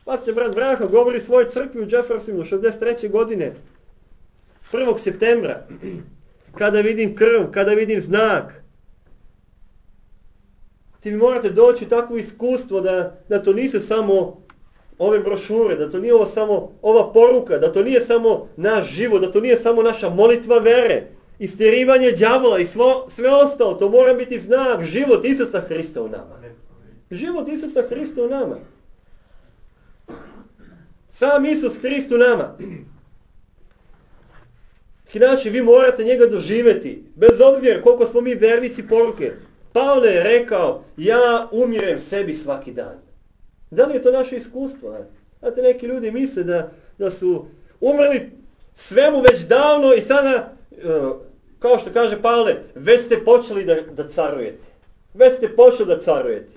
Pastor brat Branko govori svojoj crkvi u Jeffersonu šezdeset treće godine, prvog septembra, kada vidim krv, kada vidim znak. Ti mi morate doći takvo iskustvo da, da to nisu samo ove brošure, da to nije ovo samo ova poruka, da to nije samo naš život, da to nije samo naša molitva vere, istjerivanje đavola i svo, sve ostalo. To mora biti znak, život Isusa Hrista u nama. Život Isusa Hrista u nama. Sam Isus Hrist u nama. Inače, vi morate njega doživjeti, bez obzira koliko smo mi vernici poruke. Pavle je rekao, ja umirem sebi svaki dan. Da li je to naše iskustvo? Znate, neki ljudi misle da, da su umrli svemu već davno i sada, kao što kaže Pavle, već ste počeli da, da carujete. Već ste počeli da carujete.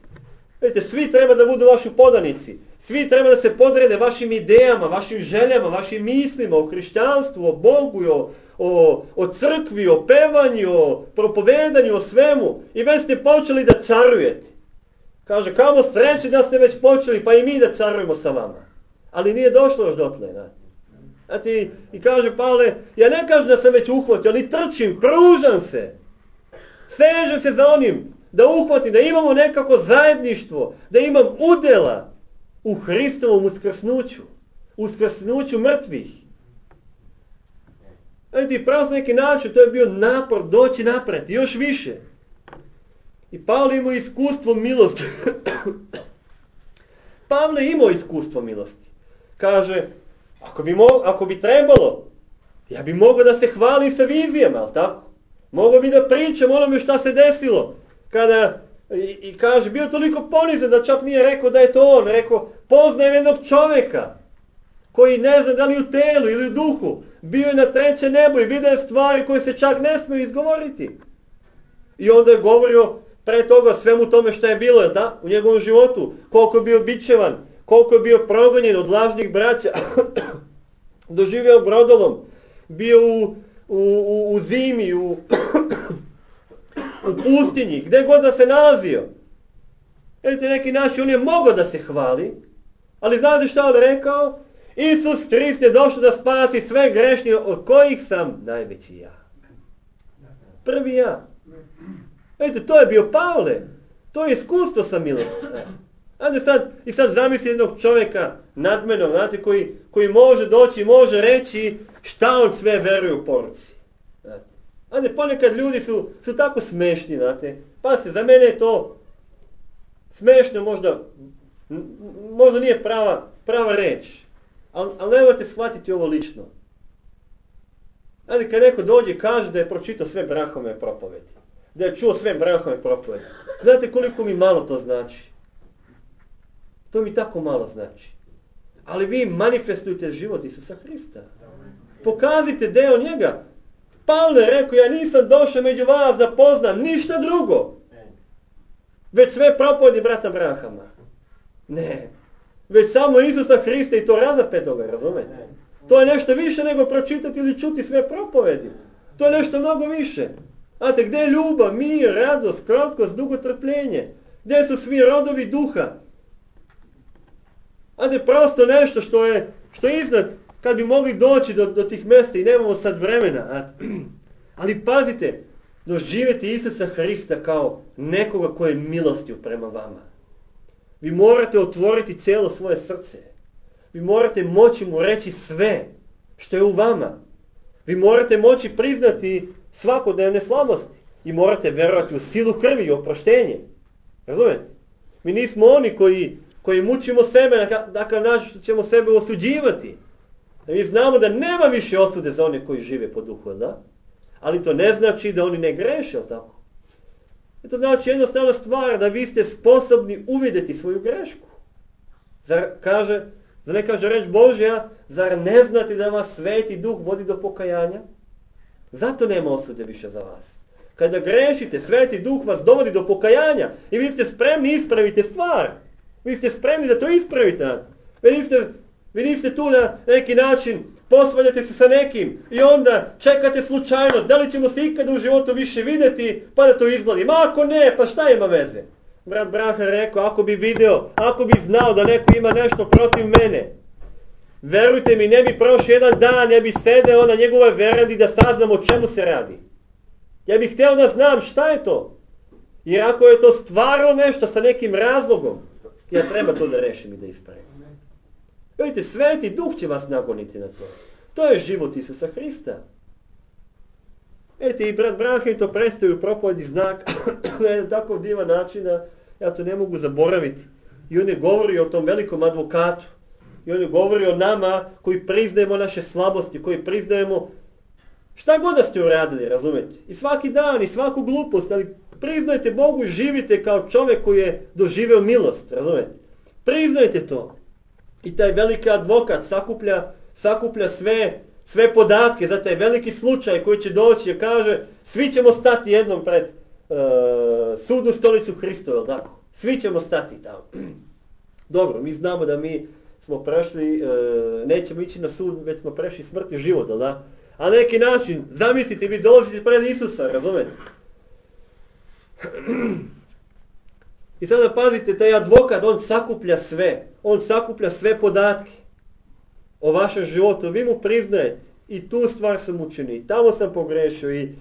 Vidite, svi treba da budu vaši podanici. Svi treba da se podrede vašim idejama, vašim željama, vašim mislima o hrišćanstvu, o Bogu, o, o, o crkvi, o pevanju, o propovedanju, o svemu. I već ste počeli da carujete. Kaže, kamo sreće da ste već počeli, pa i mi da carujemo sa vama. Ali nije došlo još dotle. Znate, i kaže Pavle, ja ne kažem da sam već uhvatio, ali trčim, pružam se. Sežem se za onim, da uhvatim, da imamo nekako zajedništvo, da imam udjela u Hristovom uskrsnuću, uskrsnuću mrtvih. Znate, pravo s neki način, to je bio napor doći napred, još više. I Pavle imao iskustvo milosti. Pavle imao iskustvo milosti. Kaže, ako bi, mo- ako bi trebalo, ja bi mogao da se hvalim sa vizijama, ali tako? Mogao bi da pričam onome šta se desilo. Kada, i, i kaže, bio toliko ponizan da čak nije rekao da je to on. Rekao, poznajem jednog čovjeka koji ne zna da li u telu ili u duhu. Bio je na treće nebo i vidio stvari koje se čak ne smiju izgovoriti. I onda je govorio pre toga svemu tome što je bilo, da, u njegovom životu. Koliko je bio bičevan, koliko je bio progonjen od lažnih braća. Doživio brodolom, bio u, u, u, u zimi, u, u pustinji, gdje god da se nalazio. Vidite, neki naši, on je mogao da se hvali, ali znate šta on rekao? Isus Hrist je došao da spasi sve grešnije, od kojih sam najveći ja. Prvi ja. Vidite, to je bio Pavle. To je iskustvo sa milosti. Znate, sad, i sad zamisli jednog čovjeka nadmenog, znate, koji, koji može doći, može reći šta on sve veruje u poruci. Znate, znate ponekad ljudi su, su tako smešni, znate. Pa se, za mene je to smešno, možda, možda nije prava, prava reč. Ali al nemojte shvatiti ovo lično. Znate, kad neko dođe i kaže da je pročitao sve Branhove propovedi, da je čuo sve Branhove propovedi, znate koliko mi malo to znači? To mi tako malo znači. Ali vi manifestujte život Isusa Hrista. Pokazite deo njega. Pavle je rekao, ja nisam došao među vas da poznam ništa drugo. Već sve propovedi brata Branhama. Ne. Već samo Isusa Hrista i to razapetoga, razumete? To je nešto više nego pročitati ili čuti sve propovedi. To je nešto mnogo više. Znate, gdje je ljubav, mir, radost, krotkost, dugotrpljenje? Gdje su svi rodovi duha? Znate, prosto nešto što je, što je iznad, kad bi mogli doći do, do tih mjesta i nemamo sad vremena. Ali pazite, doživjeti Isusa Hrista kao nekoga koji je milostiv prema vama. Vi morate otvoriti cijelo svoje srce. Vi morate moći mu reći sve što je u vama. Vi morate moći priznati svakodnevne slabosti. I morate vjerovati u silu krvi i oproštenje. Razumete? Mi nismo oni koji, koji mučimo sebe, dakle naš ćemo sebe osuđivati. Mi znamo da nema više osude za one koji žive po duhu, da? Ali to ne znači da oni ne greše, tako? I to znači jednostavna stvar da vi ste sposobni uvidjeti svoju grešku. Zar, kaže, zar ne kaže reč Božja, zar ne znate da vas Sveti Duh vodi do pokajanja? Zato nema osude više za vas. Kada grešite, Sveti Duh vas dovodi do pokajanja i vi ste spremni ispraviti stvar. Vi ste spremni da to ispravite. Vi niste, vi niste tu na neki način posvađate se sa nekim i onda čekate slučajnost, da li ćemo se ikada u životu više vidjeti pa da to izgledi. Ma ako ne, pa šta ima veze? brat Braha rekao, ako bi video, ako bi znao da neko ima nešto protiv mene, verujte mi, ne bi prošao jedan dan, ne bi sedeo na njegovoj verandi da saznam o čemu se radi. Ja bih htio da znam šta je to. Jer ako je to stvarno nešto sa nekim razlogom, ja treba to da rešim i da ispravim. Vidite, Sveti Duh će vas nagoniti na to. To je život Isusa Hrista. Vidite, i brat Branham to predstavio u propovedi znak na jedan takav divan način da ja to ne mogu zaboraviti. I on je govori o tom velikom advokatu. I on je govori o nama koji priznajemo naše slabosti, koji priznajemo šta god da ste uradili, razumete? I svaki dan, i svaku glupost, ali priznajte Bogu i živite kao čovjek koji je doživeo milost, razumete? Priznajte to. I taj veliki advokat sakuplja, sakuplja sve, sve podatke za taj veliki slučaj koji će doći i kaže svi ćemo stati jednom pred uh, sudnu stolicu Hristovu, tako? Svi ćemo stati tamo. Dobro, mi znamo da mi smo prešli, uh, nećemo ići na sud, već smo prešli smrt i život, da? A na neki način, zamislite, vi dolazite pred Isusa, razumete? I sada pazite, taj advokat, on sakuplja sve. On sakuplja sve podatke o vašem životu. Vi mu priznajete. I tu stvar sam učinio. I tamo sam pogrešio. I,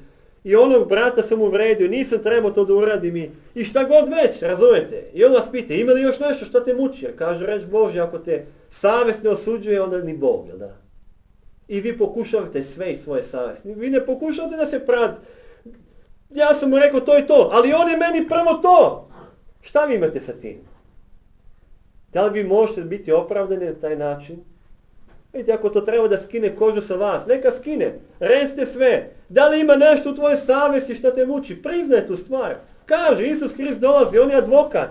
i onog brata sam uvredio. Nisam trebao to da uradim. I, i šta god već, razumete? I on vas pita, ima li još nešto što te muči? Jer kaže reč Božja, ako te savjest ne osuđuje, onda ni Bog, jel da? I vi pokušavate sve iz svoje savjesti. Vi ne pokušavate da se pravite. Ja sam mu rekao to i to, ali on je meni prvo to. Šta vi imate sa tim? Da li vi možete biti opravdani na taj način? Vidite, ako to treba da skine kožu sa vas, neka skine. Recite sve. Da li ima nešto u tvojoj savjesti što te muči? Priznaj tu stvar. Kaže, Isus Hrist dolazi, on je advokat.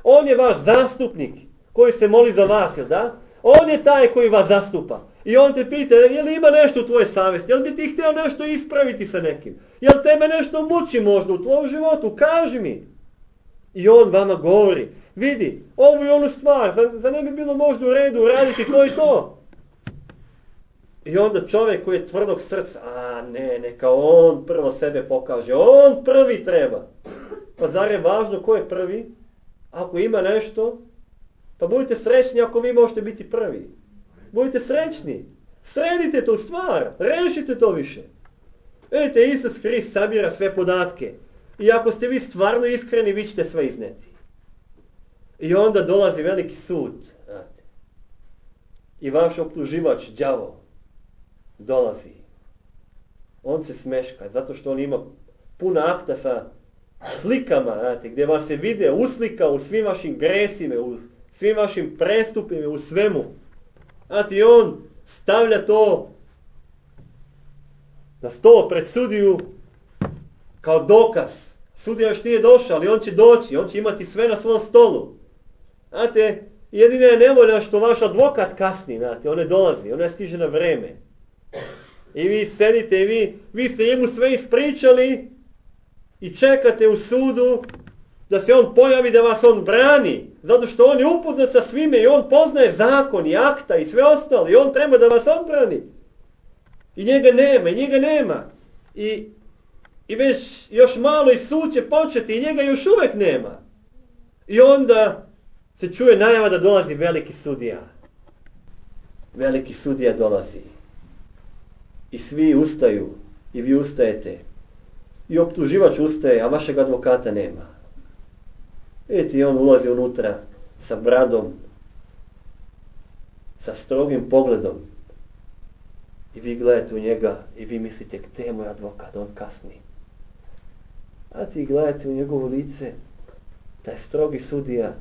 On je vaš zastupnik koji se moli za vas, jel da? On je taj koji vas zastupa. I on te pita, je li ima nešto u tvojoj savjesti? Jel bi ti htio nešto ispraviti sa nekim? Jel tebe nešto muči možda u tvojom životu? Kaži mi. I on vama govori, vidi, ovu i onu stvar, za, za ne bi bilo možda u redu uraditi to i to. I onda čovjek koji je tvrdog srca, a ne, neka on prvo sebe pokaže, on prvi treba. Pa zar je važno ko je prvi? Ako ima nešto, pa budite srećni ako vi možete biti prvi. Budite srećni. Sredite tu stvar. Rešite to više. Vidite, Isus Hrist sabira sve podatke. I ako ste vi stvarno iskreni, vi ćete sve izneti. I onda dolazi veliki sud. Znate. I vaš optuživač, đavo, dolazi. On se smeška, zato što on ima puno akta sa slikama, znate, gdje vas se vide uslika u svim vašim gresima, u svim vašim prestupima, u svemu. Znate, i on stavlja to na stol pred sudiju kao dokaz. Sudija još nije došao, ali on će doći, on će imati sve na svom stolu. Znate, jedina je nevolja što vaš advokat kasni, znate, on ne dolazi, on ne stiže na vreme. I vi sedite i vi, vi ste njemu sve ispričali i čekate u sudu da se on pojavi, da vas on brani. Zato što on je upoznat sa svime i on poznaje zakon i akta i sve ostalo. I on treba da vas odbrani. I njega nema, i njega nema. I, i već još malo i sud će početi i njega još uvijek nema. I onda se čuje najava da dolazi veliki sudija. Veliki sudija dolazi. I svi ustaju. I vi ustajete. I optuživač ustaje, a vašeg advokata nema. Vidite, i on ulazi unutra sa bradom, sa strogim pogledom. I vi gledate u njega i vi mislite, gdje je moj advokat, on kasni. A ti gledate u njegovo lice, taj strogi sudija.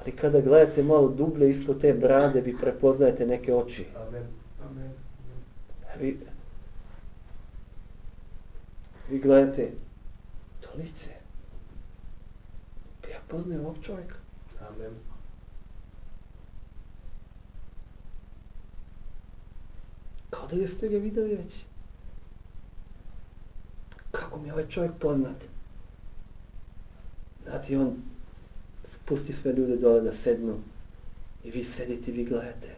Ali kada gledate malo dublje ispod te brade, vi prepoznajete neke oči. Amen. Amen. Vi, vi gledate to lice. Ja poznajem ovog čovjeka. Amen. Kao da jeste ga vidjeli već. Kako mi je ovaj čovjek poznat? Znate, i on spusti sve ljude dole da sednu. I vi sedite i vi gledate.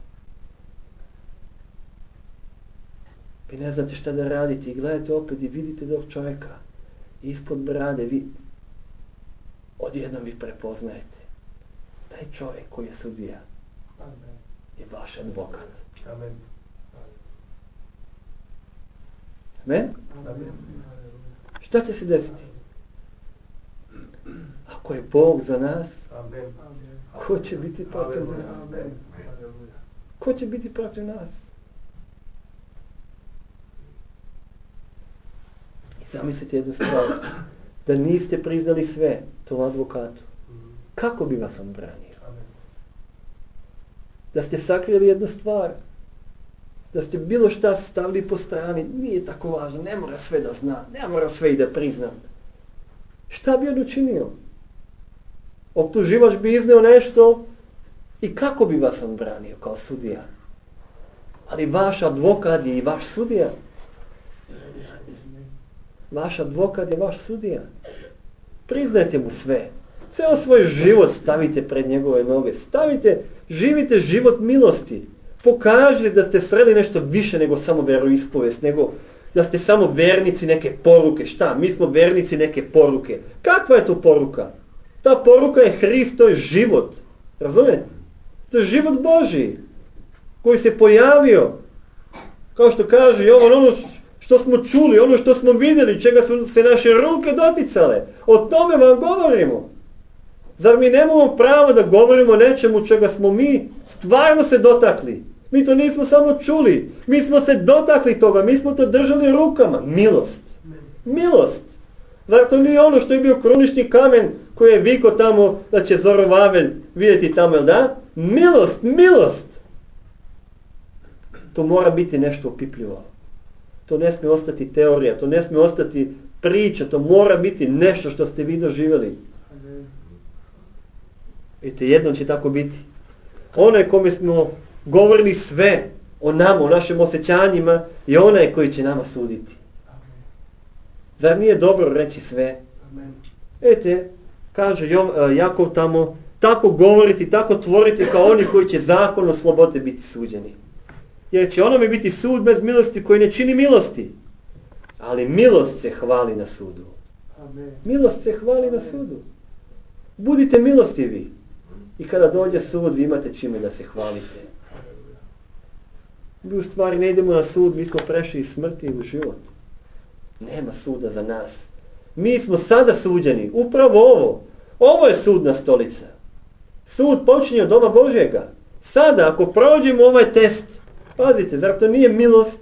Vi ne znate šta da radite i gledate opet i vidite tog čovjeka. Ispod brade vi... odjednom vi prepoznajete. Taj čovjek koji je sudija je vaš advokat. Amen. Amen? Šta će se desiti? Ako je Bog za nas, Amen. ko će biti protiv nas? Amen. Ko će biti protiv nas? I zamislite jednu stvar, da niste priznali sve tom advokatu. Kako bi vas on branio? Da ste sakrili jednu stvar, da ste bilo šta stavili po strani, nije tako važno, ne mora sve da zna, ne mora sve i da priznam. Šta bi on učinio? Optuživač bi izneo nešto i kako bi vas on branio kao sudija? Ali vaš advokat je i vaš sudija. Vaš advokat je vaš sudija. Priznajte mu sve. Ceo svoj život stavite pred njegove noge. Stavite, živite život milosti. Pokažite da ste sreli nešto više nego samo veroispovest, nego da ste samo vernici neke poruke. Šta? Mi smo vernici neke poruke. Kakva je to poruka? Ta poruka je Hrist, to je život. Razumijete? To je život Božiji koji se pojavio. Kao što kaže Jovan, ono što smo čuli, ono što smo vidjeli, čega su se naše ruke doticale. O tome vam govorimo. Zar mi nemamo pravo da govorimo o nečemu čega smo mi stvarno se dotakli? Mi to nismo samo čuli. Mi smo se dotakli toga. Mi smo to držali rukama. Milost. Milost. Zar to nije ono što je bio krunični kamen koji je viko tamo da će Zorovavelj vidjeti tamo, jel da? Milost, milost. To mora biti nešto opipljivo. To ne smije ostati teorija, to ne smije ostati priča, to mora biti nešto što ste vi doživjeli. Vidite, jednom će tako biti. Onaj kome smo govorili sve o nama, o našim osjećanjima, je onaj koji će nama suditi. Zar nije dobro reći sve? Vidite, kaže Jakov tamo, tako govoriti, tako tvoriti kao oni koji će zakonom slobode biti suđeni. Jer će onome biti sud bez milosti koji ne čini milosti. Ali milost se hvali na sudu. Milost se hvali na sudu. Budite milostivi. I kada dođe sud, vi imate čime da se hvalite. Mi u stvari ne idemo na sud, mi smo prešli iz smrti u život. Nema suda za nas. Mi smo sada suđeni. Upravo ovo. Ovo je sudna stolica. Sud počinje od doma Božjega. Sada, ako prođemo ovaj test, pazite, zar to nije milost?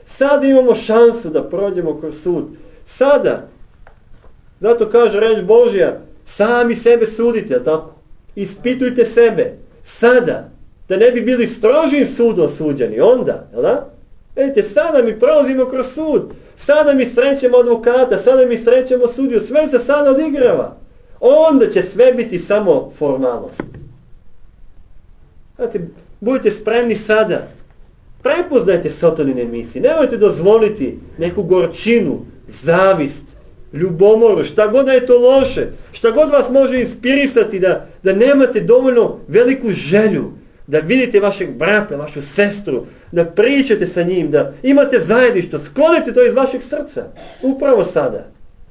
Sada imamo šansu da prođemo kroz sud. Sada. Zato kaže reč Božja, sami sebe sudite, tako? Ispitujte sebe. Sada. Da ne bi bili strožim sudom suđeni. Onda, jel da? Vidite, sada mi prolazimo kroz sud. Sada mi srećemo advokata, sada mi srećemo sudiju. Sve se sada odigrava. Onda će sve biti samo formalnost. Znate, budite spremni sada. Prepoznajte Sotonine misli. Nemojte dozvoliti neku gorčinu, zavist, ljubomoru, šta god da je to loše, šta god vas može inspirisati da, da nemate dovoljno veliku želju, da vidite vašeg brata, vašu sestru, da pričate sa njim, da imate zajedništvo, sklonite to iz vašeg srca, upravo sada.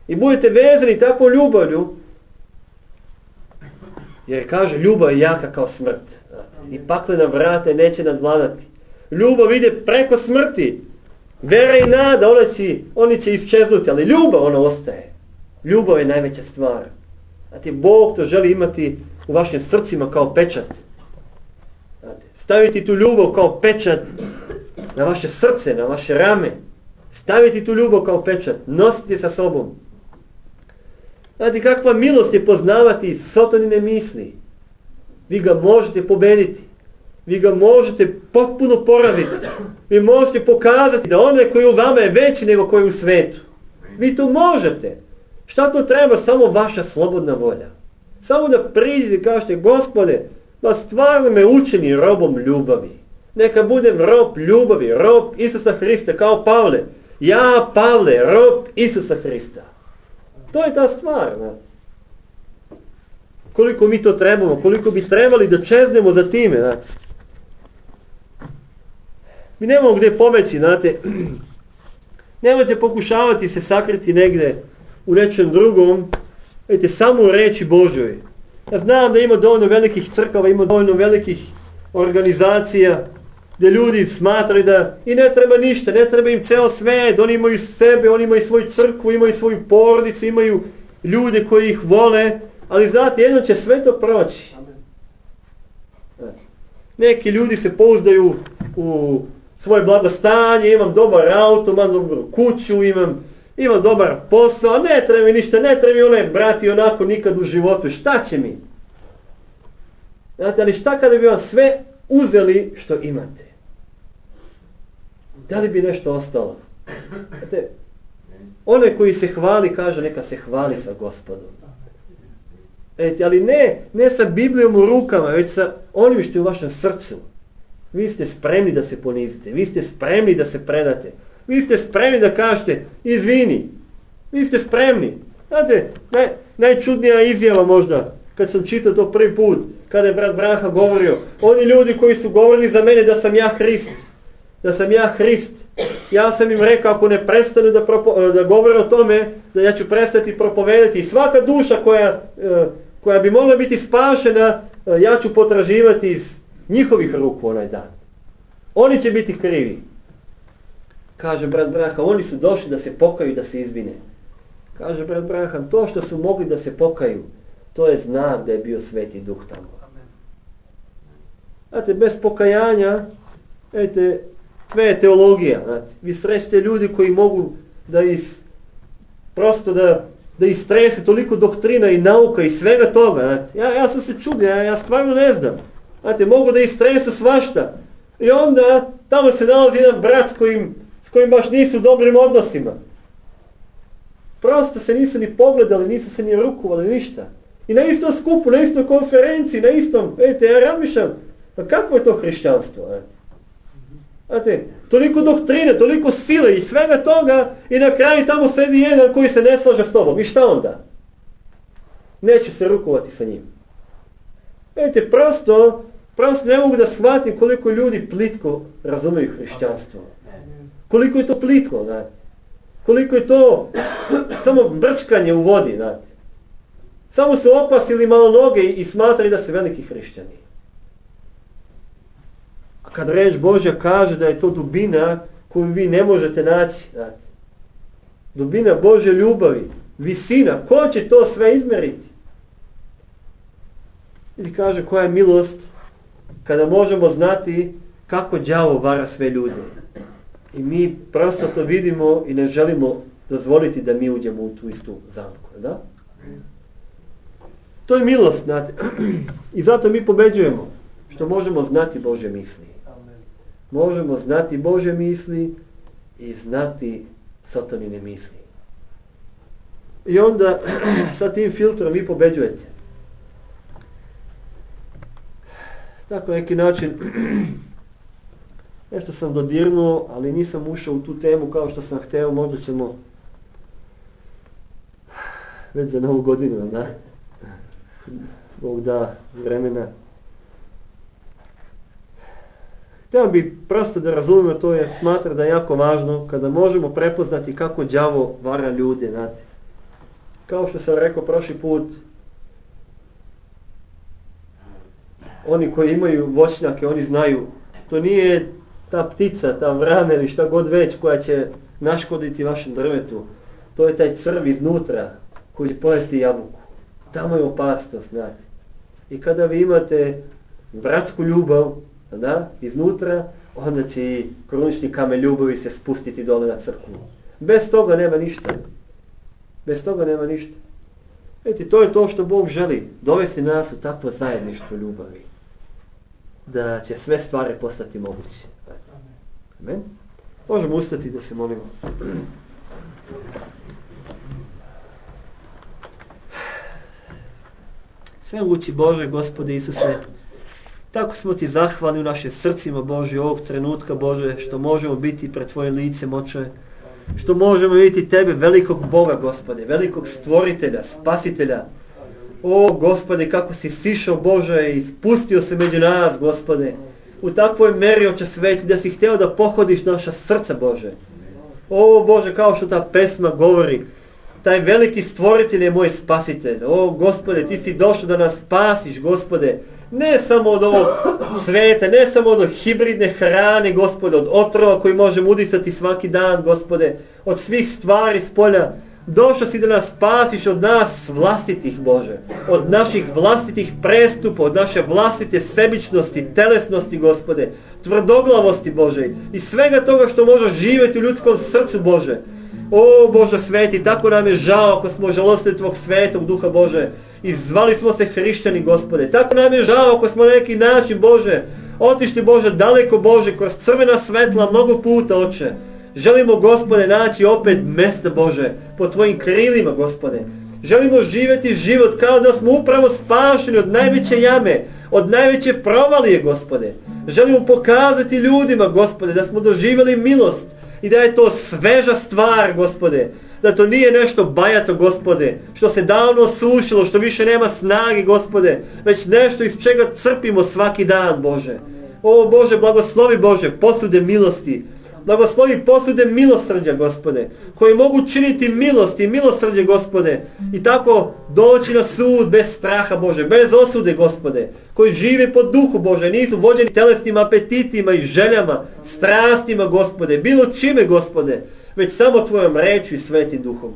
I budete vezani takvom ljubavlju, jer kaže, ljubav je jaka kao smrt. I paklena vrata neće nadvladati. Ljubav ide preko smrti. Vera i nada, oni će, oni će isčeznuti, ali ljubav ona ostaje. Ljubav je najveća stvar. Znate, Bog to želi imati u vašim srcima kao pečat. Znate, staviti tu ljubav kao pečat na vaše srce, na vaše rame. Staviti tu ljubav kao pečat. Nositi sa sobom. Znate, kakva milost je poznavati Sotonine misli. Vi ga možete pobediti. Vi ga možete potpuno poraziti. Vi možete pokazati da onaj koji u vama je veći nego koji je u svetu. Vi to možete. Šta to treba? Samo vaša slobodna volja. Samo da priđete i kažete, Gospode, da stvarno me učini robom ljubavi. Neka budem rob ljubavi, rob Isusa Hrista, kao Pavle. Ja, Pavle, rob Isusa Hrista. To je ta stvar. Ne? Koliko mi to trebamo, koliko bi trebali da čeznemo za time. Ne? Mi nemamo gdje pobeći, znate. Nemojte pokušavati se sakriti negdje u nečem drugom, Vidite, samo u reči Božoj. Ja znam da ima dovoljno velikih crkava, ima dovoljno velikih organizacija gdje ljudi smatraju da i ne treba ništa, ne treba im ceo svet, oni imaju sebe, oni imaju svoju crkvu, imaju svoju porodicu, imaju ljude koji ih vole, ali znate, jedno će sve to proći. Neki ljudi se pouzdaju u svoje blagostanje, imam dobar auto, imam dobru kuću, imam, imam dobar posao, ne treba mi ništa, ne treba mi onaj brati onako nikad u životu, šta će mi? Znate, ali šta kada bi vam sve uzeli što imate? Da li bi nešto ostalo? Znate, onaj koji se hvali kaže neka se hvali sa Gospodom. Eti, ali ne, ne sa Biblijom u rukama, već sa onim što je u vašem srcu. Vi ste spremni da se ponizite, vi ste spremni da se predate, vi ste spremni da kažete izvini, vi ste spremni. Znate, naj, najčudnija izjava možda, kad sam čitao to prvi put, kada je brat Branha govorio, oni ljudi koji su govorili za mene da sam ja Hrist, da sam ja Hrist, ja sam im rekao ako ne prestanu da, propo, da govore o tome, da ja ću prestati propovedati i svaka duša koja, koja bi mogla biti spašena, ja ću potraživati iz njihovih ruku onaj dan. Oni će biti krivi. Kaže brat Branha, oni su došli da se pokaju, da se izvine. Kaže brat Branha, to što su mogli da se pokaju, to je znak da je bio Sveti Duh tamo. Znate, bez pokajanja, vidite, sve je teologija. Znate. Vi srećete ljudi koji mogu da is, prosto da, da istrese toliko doktrina i nauka i svega toga. Znate. Ja, ja sam se čudio, ja, ja stvarno ne znam. Znate, mogu da istresu svašta. I onda tamo se nalazi jedan brat s kojim, s kojim baš nisu u dobrim odnosima. Prosto se nisu ni pogledali, nisu se ni rukovali, ništa. I na istom skupu, na istoj konferenciji, na istom, vidite, ja razmišljam, pa kako je to hrišćanstvo? Znate? Znate, toliko doktrine, toliko sile i svega toga i na kraju tamo sedi jedan koji se ne slaže s tobom. I šta onda? Neće se rukovati sa njim. Vidite, prosto, prosto ne mogu da shvatim koliko ljudi plitko razumeju hrišćanstvo. Koliko je to plitko, znate. Koliko je to samo brčkanje u vodi, znate. Samo su opasili malo noge i smatrali da se veliki hrišćani. A kad reč Božja kaže da je to dubina koju vi ne možete naći, znate. Dubina Božje ljubavi, visina, ko će to sve izmeriti? Ili kaže koja je milost kada možemo znati kako đavo vara sve ljude. I mi prosto to vidimo i ne želimo dozvoliti da mi uđemo u tu istu zamku, da? To je milost, znate. I zato mi pobeđujemo, što možemo znati Božje misli. Možemo znati Božje misli i znati satanine misli. I onda sa tim filtrom vi pobeđujete. Tako neki način, nešto sam dodirnuo, ali nisam ušao u tu temu kao što sam hteo, možda ćemo već za novu godinu, da? Bog da vremena. Htio bi prosto da razumemo to, jer smatram da je jako važno kada možemo prepoznati kako đavo vara ljude, znate. Kao što sam rekao prošli put, oni koji imaju voćnjake, oni znaju, to nije ta ptica, ta vrana ili šta god već koja će naškoditi vašem drvetu. To je taj crv iznutra koji će pojesti jabuku. Tamo je opasnost, znate. I kada vi imate bratsku ljubav, da, iznutra, onda će i krunični kamen ljubavi se spustiti dole na crkvu. Bez toga nema ništa. Bez toga nema ništa. Vidite, to je to što Bog želi, dovesti nas u takvo zajedništvo ljubavi. Da će sve stvari postati moguće. Amen. Možemo ustati da se molimo. Svemogući Bože, Gospode Isuse, tako smo Ti zahvalni u našim srcima, Bože, ovog trenutka, Bože, što možemo biti pred Tvoje lice, Oče, što možemo vidjeti Tebe, velikog Boga, Gospode, velikog stvoritelja, spasitelja. O, Gospode, kako si sišao, Bože, i spustio se među nas, Gospode, u takvoj meri, Oče sveti, da si htio da pohodiš naša srca, Bože. O, Bože, kao što ta pesma govori, Taj veliki stvoritelj je moj spasitelj. O Gospode, ti si došao da nas spasiš, Gospode. Ne samo od ovog sveta, ne samo od hibridne hrane, Gospode, od otrova koji možemo udisati svaki dan, Gospode, od svih stvari s polja. Došao si da nas spasiš od nas vlastitih, Bože, od naših vlastitih prestupa, od naše vlastite sebičnosti, telesnosti, Gospode, tvrdoglavosti, Bože, i svega toga što može živjeti u ljudskom srcu, Bože. O Bože sveti, tako nam je žao ako smo žalostili Tvog svetog duha, Bože, i zvali smo se hrišćani, Gospode. Tako nam je žao ako smo na neki način, Bože, otišli, Bože, daleko, Bože, kroz crvena svetla mnogo puta, Oče. Želimo, Gospode, naći opet mjesta, Bože, po Tvojim krilima, Gospode. Želimo živjeti život kao da smo upravo spašeni od najveće jame, od najveće provalije, Gospode. Želimo pokazati ljudima, Gospode, da smo doživjeli milost i da je to sveža stvar, Gospode. Da to nije nešto bajato, Gospode, što se davno osušilo, što više nema snage, Gospode, već nešto iz čega crpimo svaki dan, Bože. O Bože, blagoslovi, Bože, posude milosti. Blagoslovi posude milosrđa, Gospode, koji mogu činiti milost i milosrđe, Gospode, i tako doći na sud bez straha, Bože, bez osude, Gospode, koji žive po duhu, Bože, nisu vođeni telesnim apetitima i željama, strastima, Gospode, bilo čime, Gospode, već samo Tvojom rečju i svetim duhom.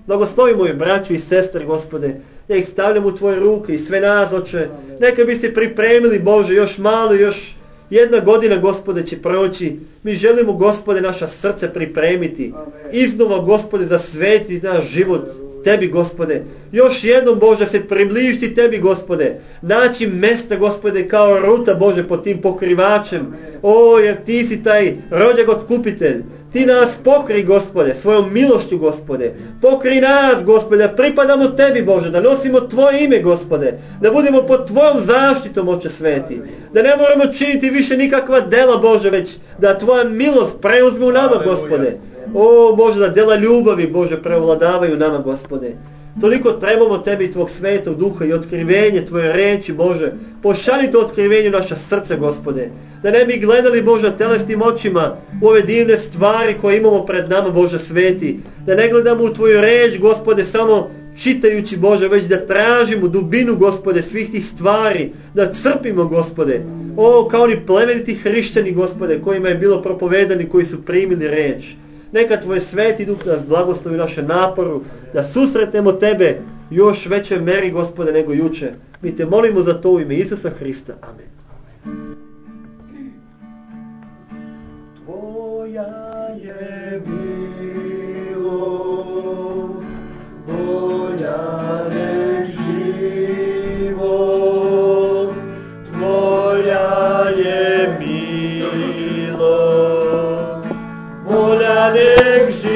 Blagoslovi moji braću i sestre, Gospode, ja ih stavljam u Tvoje ruke i sve nas, Oče, neka bi se pripremili, Bože, još malo, još jedna godina, Gospode, će proći. Mi želimo, Gospode, naša srca pripremiti. Iznova, Gospode, zasvetiti naš život Tebi, Gospode. Još jednom, Bože, se približiti Tebi, Gospode. Naći mjesta, Gospode, kao ruta, Bože, pod tim pokrivačem. O, jer Ti si taj rođak otkupitelj. Ti nas pokri, Gospode, svojom milošću, Gospode. Pokri nas, Gospode, da pripadamo Tebi, Bože, da nosimo Tvoje ime, Gospode. Da budemo pod Tvojom zaštitom, Oče sveti. Da ne moramo činiti više nikakva dela, Bože, već da Tvoja milost preuzme u nama, Gospode. O, Bože, da dela ljubavi, Bože, prevladavaju nama, Gospode. Toliko trebamo Tebi i Tvog svetog duha i otkrivenje Tvoje reči, Bože. Pošalji to otkrivenje u naša srca, Gospode. Da ne bi gledali, Bože, telesnim očima u ove divne stvari koje imamo pred nama, Bože sveti. Da ne gledamo u Tvoju reč, Gospode, samo čitajući, Bože, već da tražimo dubinu, Gospode, svih tih stvari. Da crpimo, Gospode. O, kao oni plemeniti hrišćani, Gospode, kojima je bilo propovedani, koji su primili reč. Neka Tvoj sveti duh nas blagoslovi naše naporu, da susretnemo Tebe još veće meri, Gospode, nego juče. Mi Te molimo za to u ime Isusa Hrista. Amen. Tvoja je milost, bolja nek život. Tvoja je milost, bolja nek život.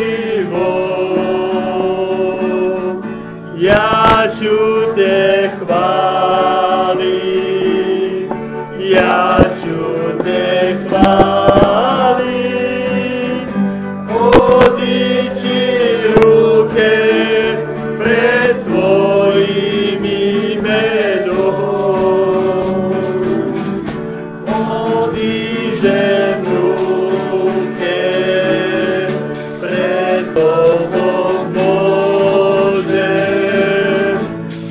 Ja ću Te hvalit, ja ću Te hvalit, podići ruke pred Tvojim imenom. Podižem ruke pred Tobom, Bože,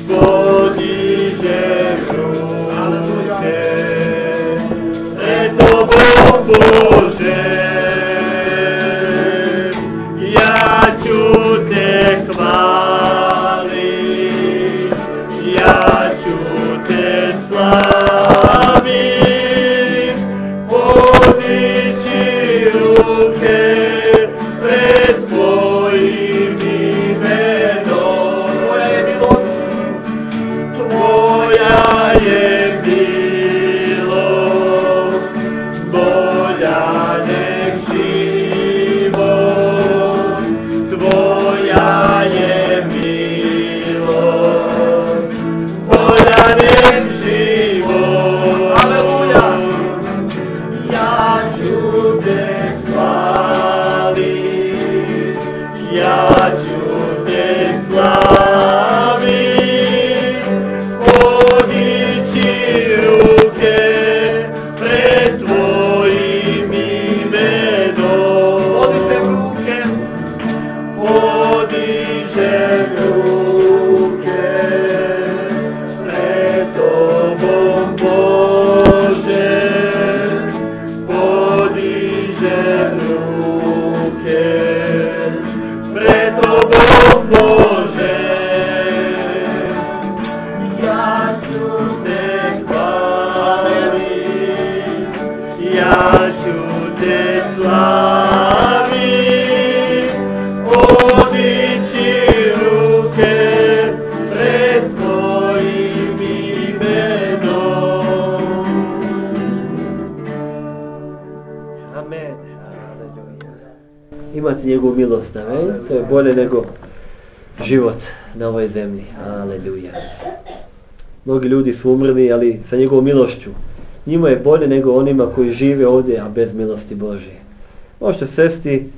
podižem ruke pred Tobom, Bože. Ja ću Te hvalit, imati njegovu milost, amen. To je bolje nego život na ovoj zemlji. Aleluja. Mnogi ljudi su umrli, ali sa njegovom milošću. Njima je bolje nego onima koji žive ovdje, a bez milosti Božje. Možete sesti,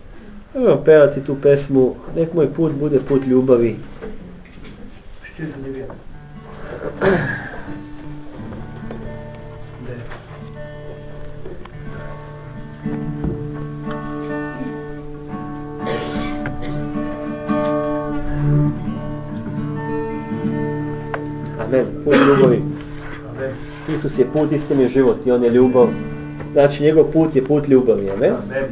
evo pevati tu pesmu, nek moj put bude put ljubavi. Amen. Put ljubavi. Isus je put, istini i život i on je ljubav. Znači njegov put je put ljubavi. Amen. Amen.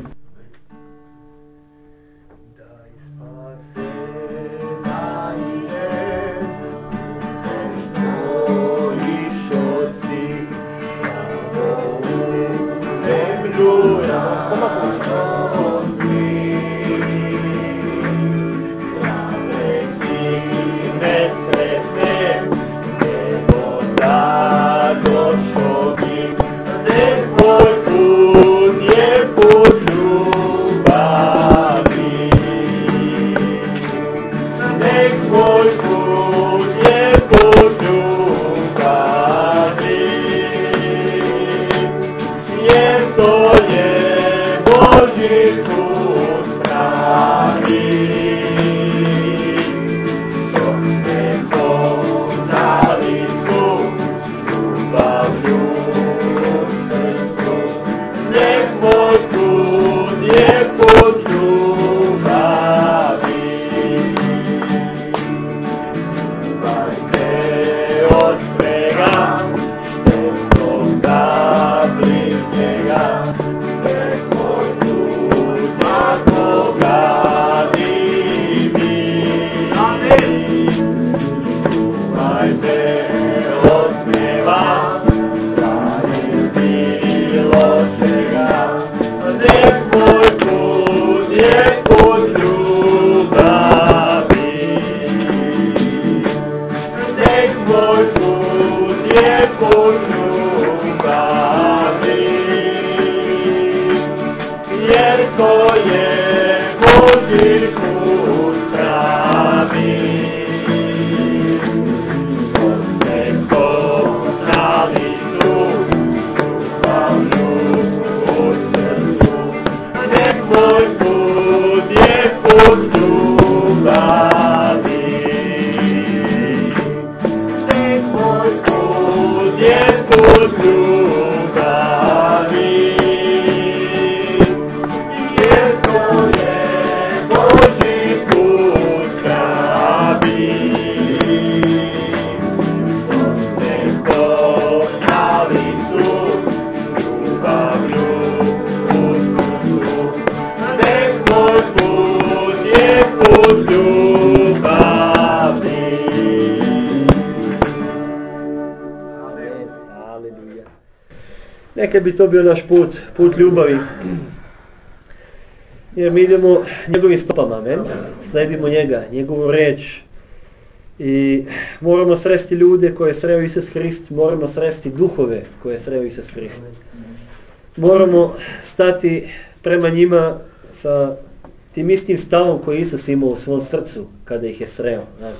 Nekad bi to bio naš put, put ljubavi. Jer mi idemo njegovim stopama, amen. Sledimo njega, njegovu reč. I moramo sresti ljude koje je sreo Isus Hrist, moramo sresti duhove koje je sreo Isus Hrist. Moramo stati prema njima sa tim istim stavom koji je Isus imao u svom srcu kada ih je sreo. Znači.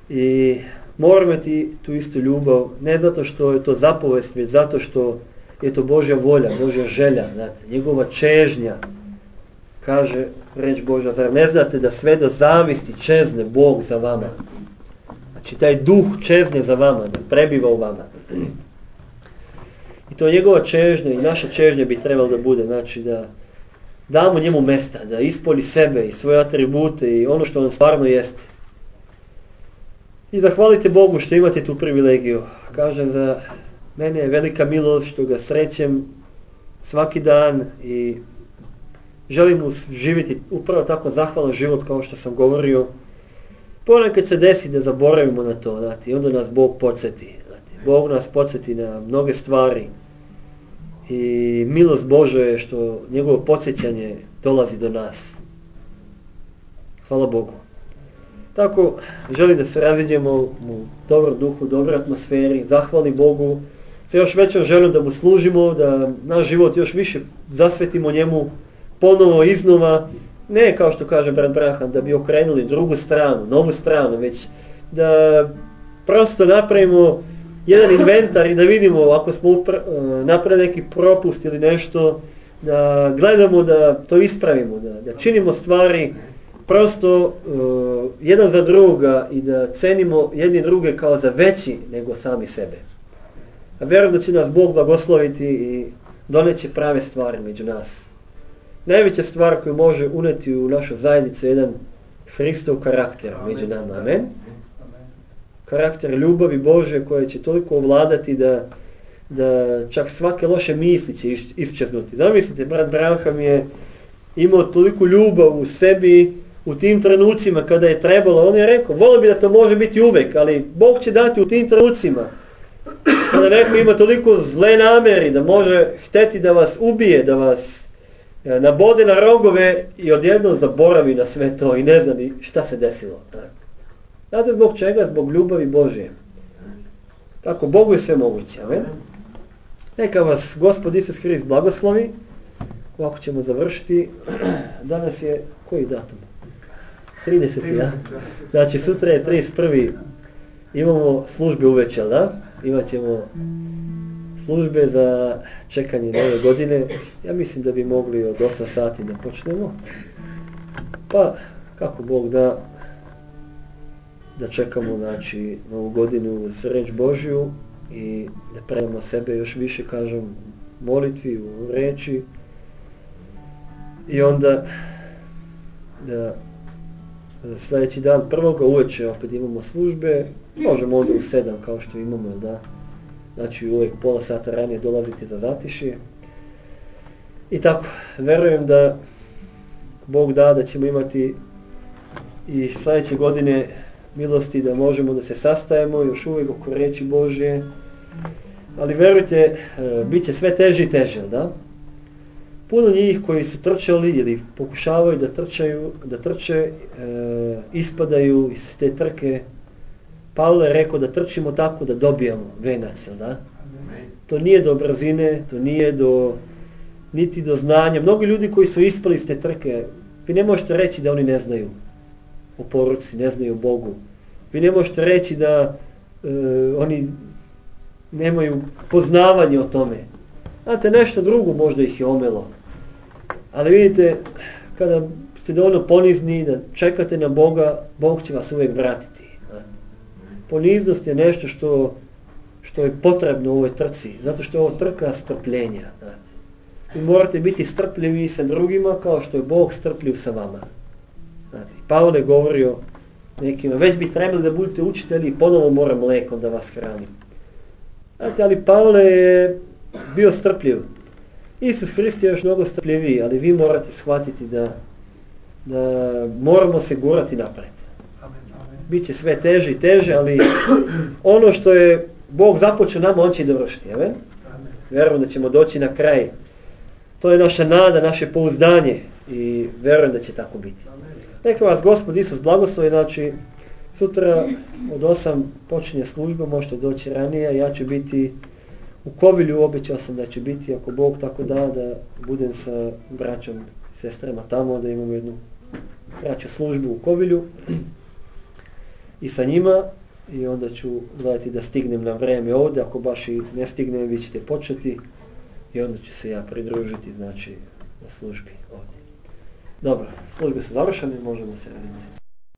I moramo imati tu istu ljubav, ne zato što je to zapovest, već zato što je to Božja volja, Božja želja, znate, njegova čežnja. Kaže reč Božja, zar ne znate da sve do zavisti čezne Bog za vama? Znači taj duh čezne za vama, da prebiva u vama. I to je njegova čežnja i naša čežnja bi trebalo da bude, znači da damo njemu mesta, da ispolji sebe i svoje atribute i ono što on stvarno jeste. I zahvalite Bogu što imate tu privilegiju. Kažem da mene je velika milost što ga srećem svaki dan i želim mu živjeti upravo tako zahvalan život kao što sam govorio. Ponekad se desi da zaboravimo na to, znate, i onda nas Bog podsjeti. Znate, Bog nas podsjeti na mnoge stvari i milost Božja je što njegovo podsjećanje dolazi do nas. Hvala Bogu. Tako, želim da se raziđemo u dobrom duhu, dobroj atmosferi, zahvali Bogu, sa još većom željom da mu služimo, da naš život još više zasvetimo njemu, ponovo iznova, ne kao što kaže brat Branham, da bi okrenuli drugu stranu, novu stranu, već da prosto napravimo jedan inventar i da vidimo ako smo upra- napravili neki propust ili nešto, da gledamo da to ispravimo, da, da činimo stvari prosto uh, jedan za druga i da cenimo jedni druge kao za veći nego sami sebe. A vjerujem da će nas Bog blagosloviti i doneće prave stvari među nas. Najveća stvar koju može uneti u našu zajednicu je jedan Hristov karakter među nama. Amen. Karakter ljubavi Bože koje će toliko ovladati da, da čak svake loše misli će iščeznuti. Zamislite, brat Branham je imao toliko ljubav u sebi u tim trenucima kada je trebalo. On je rekao, volio bi da to može biti uvek, ali Bog će dati u tim trenucima. Kada neko ima toliko zle namjeri da može hteti da vas ubije, da vas nabode na rogove i odjednom zaboravi na sve to i ne zna ni šta se desilo. Znate zbog čega? Zbog ljubavi Božje. Tako, Bogu je sve moguće. Amen. Neka vas Gospod Isus Hrist blagoslovi. Ovako ćemo završiti. Danas je, koji datum? trideseti. Ja? Znači sutra je trideset prvi Imamo službe uveče, da? Imat ćemo službe za čekanje nove godine. Ja mislim da bi mogli od osam sati da počnemo. Pa, kako Bog da, da čekamo, znači, novu godinu uz reč Božju i da predamo sebe još više, kažem, molitvi u reči. I onda da sljedeći dan prvoga uveče opet imamo službe, možemo onda u sedam kao što imamo, da? Znači uvijek pola sata ranije dolazite za zatišje. I tako, verujem da Bog da da ćemo imati i sljedeće godine milosti da možemo da se sastajemo još uvijek oko reči Božje. Ali verujte, bit će sve teže i teže, da? Puno njih koji su trčali ili pokušavaju da trčaju, da trče, e, ispadaju iz te trke. Pavle je rekao da trčimo tako da dobijamo venac, da? To nije do brzine, to nije do, niti do znanja. Mnogi ljudi koji su ispali iz te trke, vi ne možete reći da oni ne znaju o poruci, ne znaju o Bogu. Vi ne možete reći da e, oni nemaju poznavanje o tome. Znate, nešto drugo možda ih je omelo. Ali vidite, kada ste dovoljno ponizni da čekate na Boga, Bog će vas uvijek vratiti. Poniznost je nešto što, što je potrebno u ovoj trci, zato što je ovo trka strpljenja. Vi morate biti strpljivi sa drugima kao što je Bog strpljiv sa vama. Znate, Pavle je govorio nekima, već bi trebali da budete učitelji i ponovo mora mlekom da vas hranim. Znate, ali Pavle je bio strpljiv. Isus Hrist je još mnogo strpljiviji, ali vi morate shvatiti da, da moramo se gurati napred. Biće sve teže i teže, ali ono što je Bog započeo nama, on će i dovršiti. Amen? Vjerujem da ćemo doći na kraj. To je naša nada, naše pouzdanje i vjerujem da će tako biti. Neka vas Gospod Isus blagoslovi, znači sutra od osam počinje služba, možete doći ranije, ja ću biti u Kovilju, obećao sam da će biti, ako Bog tako da, da budem sa braćom i sestrama tamo, da imamo jednu kraću službu u Kovilju i sa njima i onda ću gledati da stignem na vreme ovdje, ako baš i ne stignem, vi ćete početi i onda ću se ja pridružiti, znači, na službi ovdje. Dobro, službe su završene, možemo se raditi.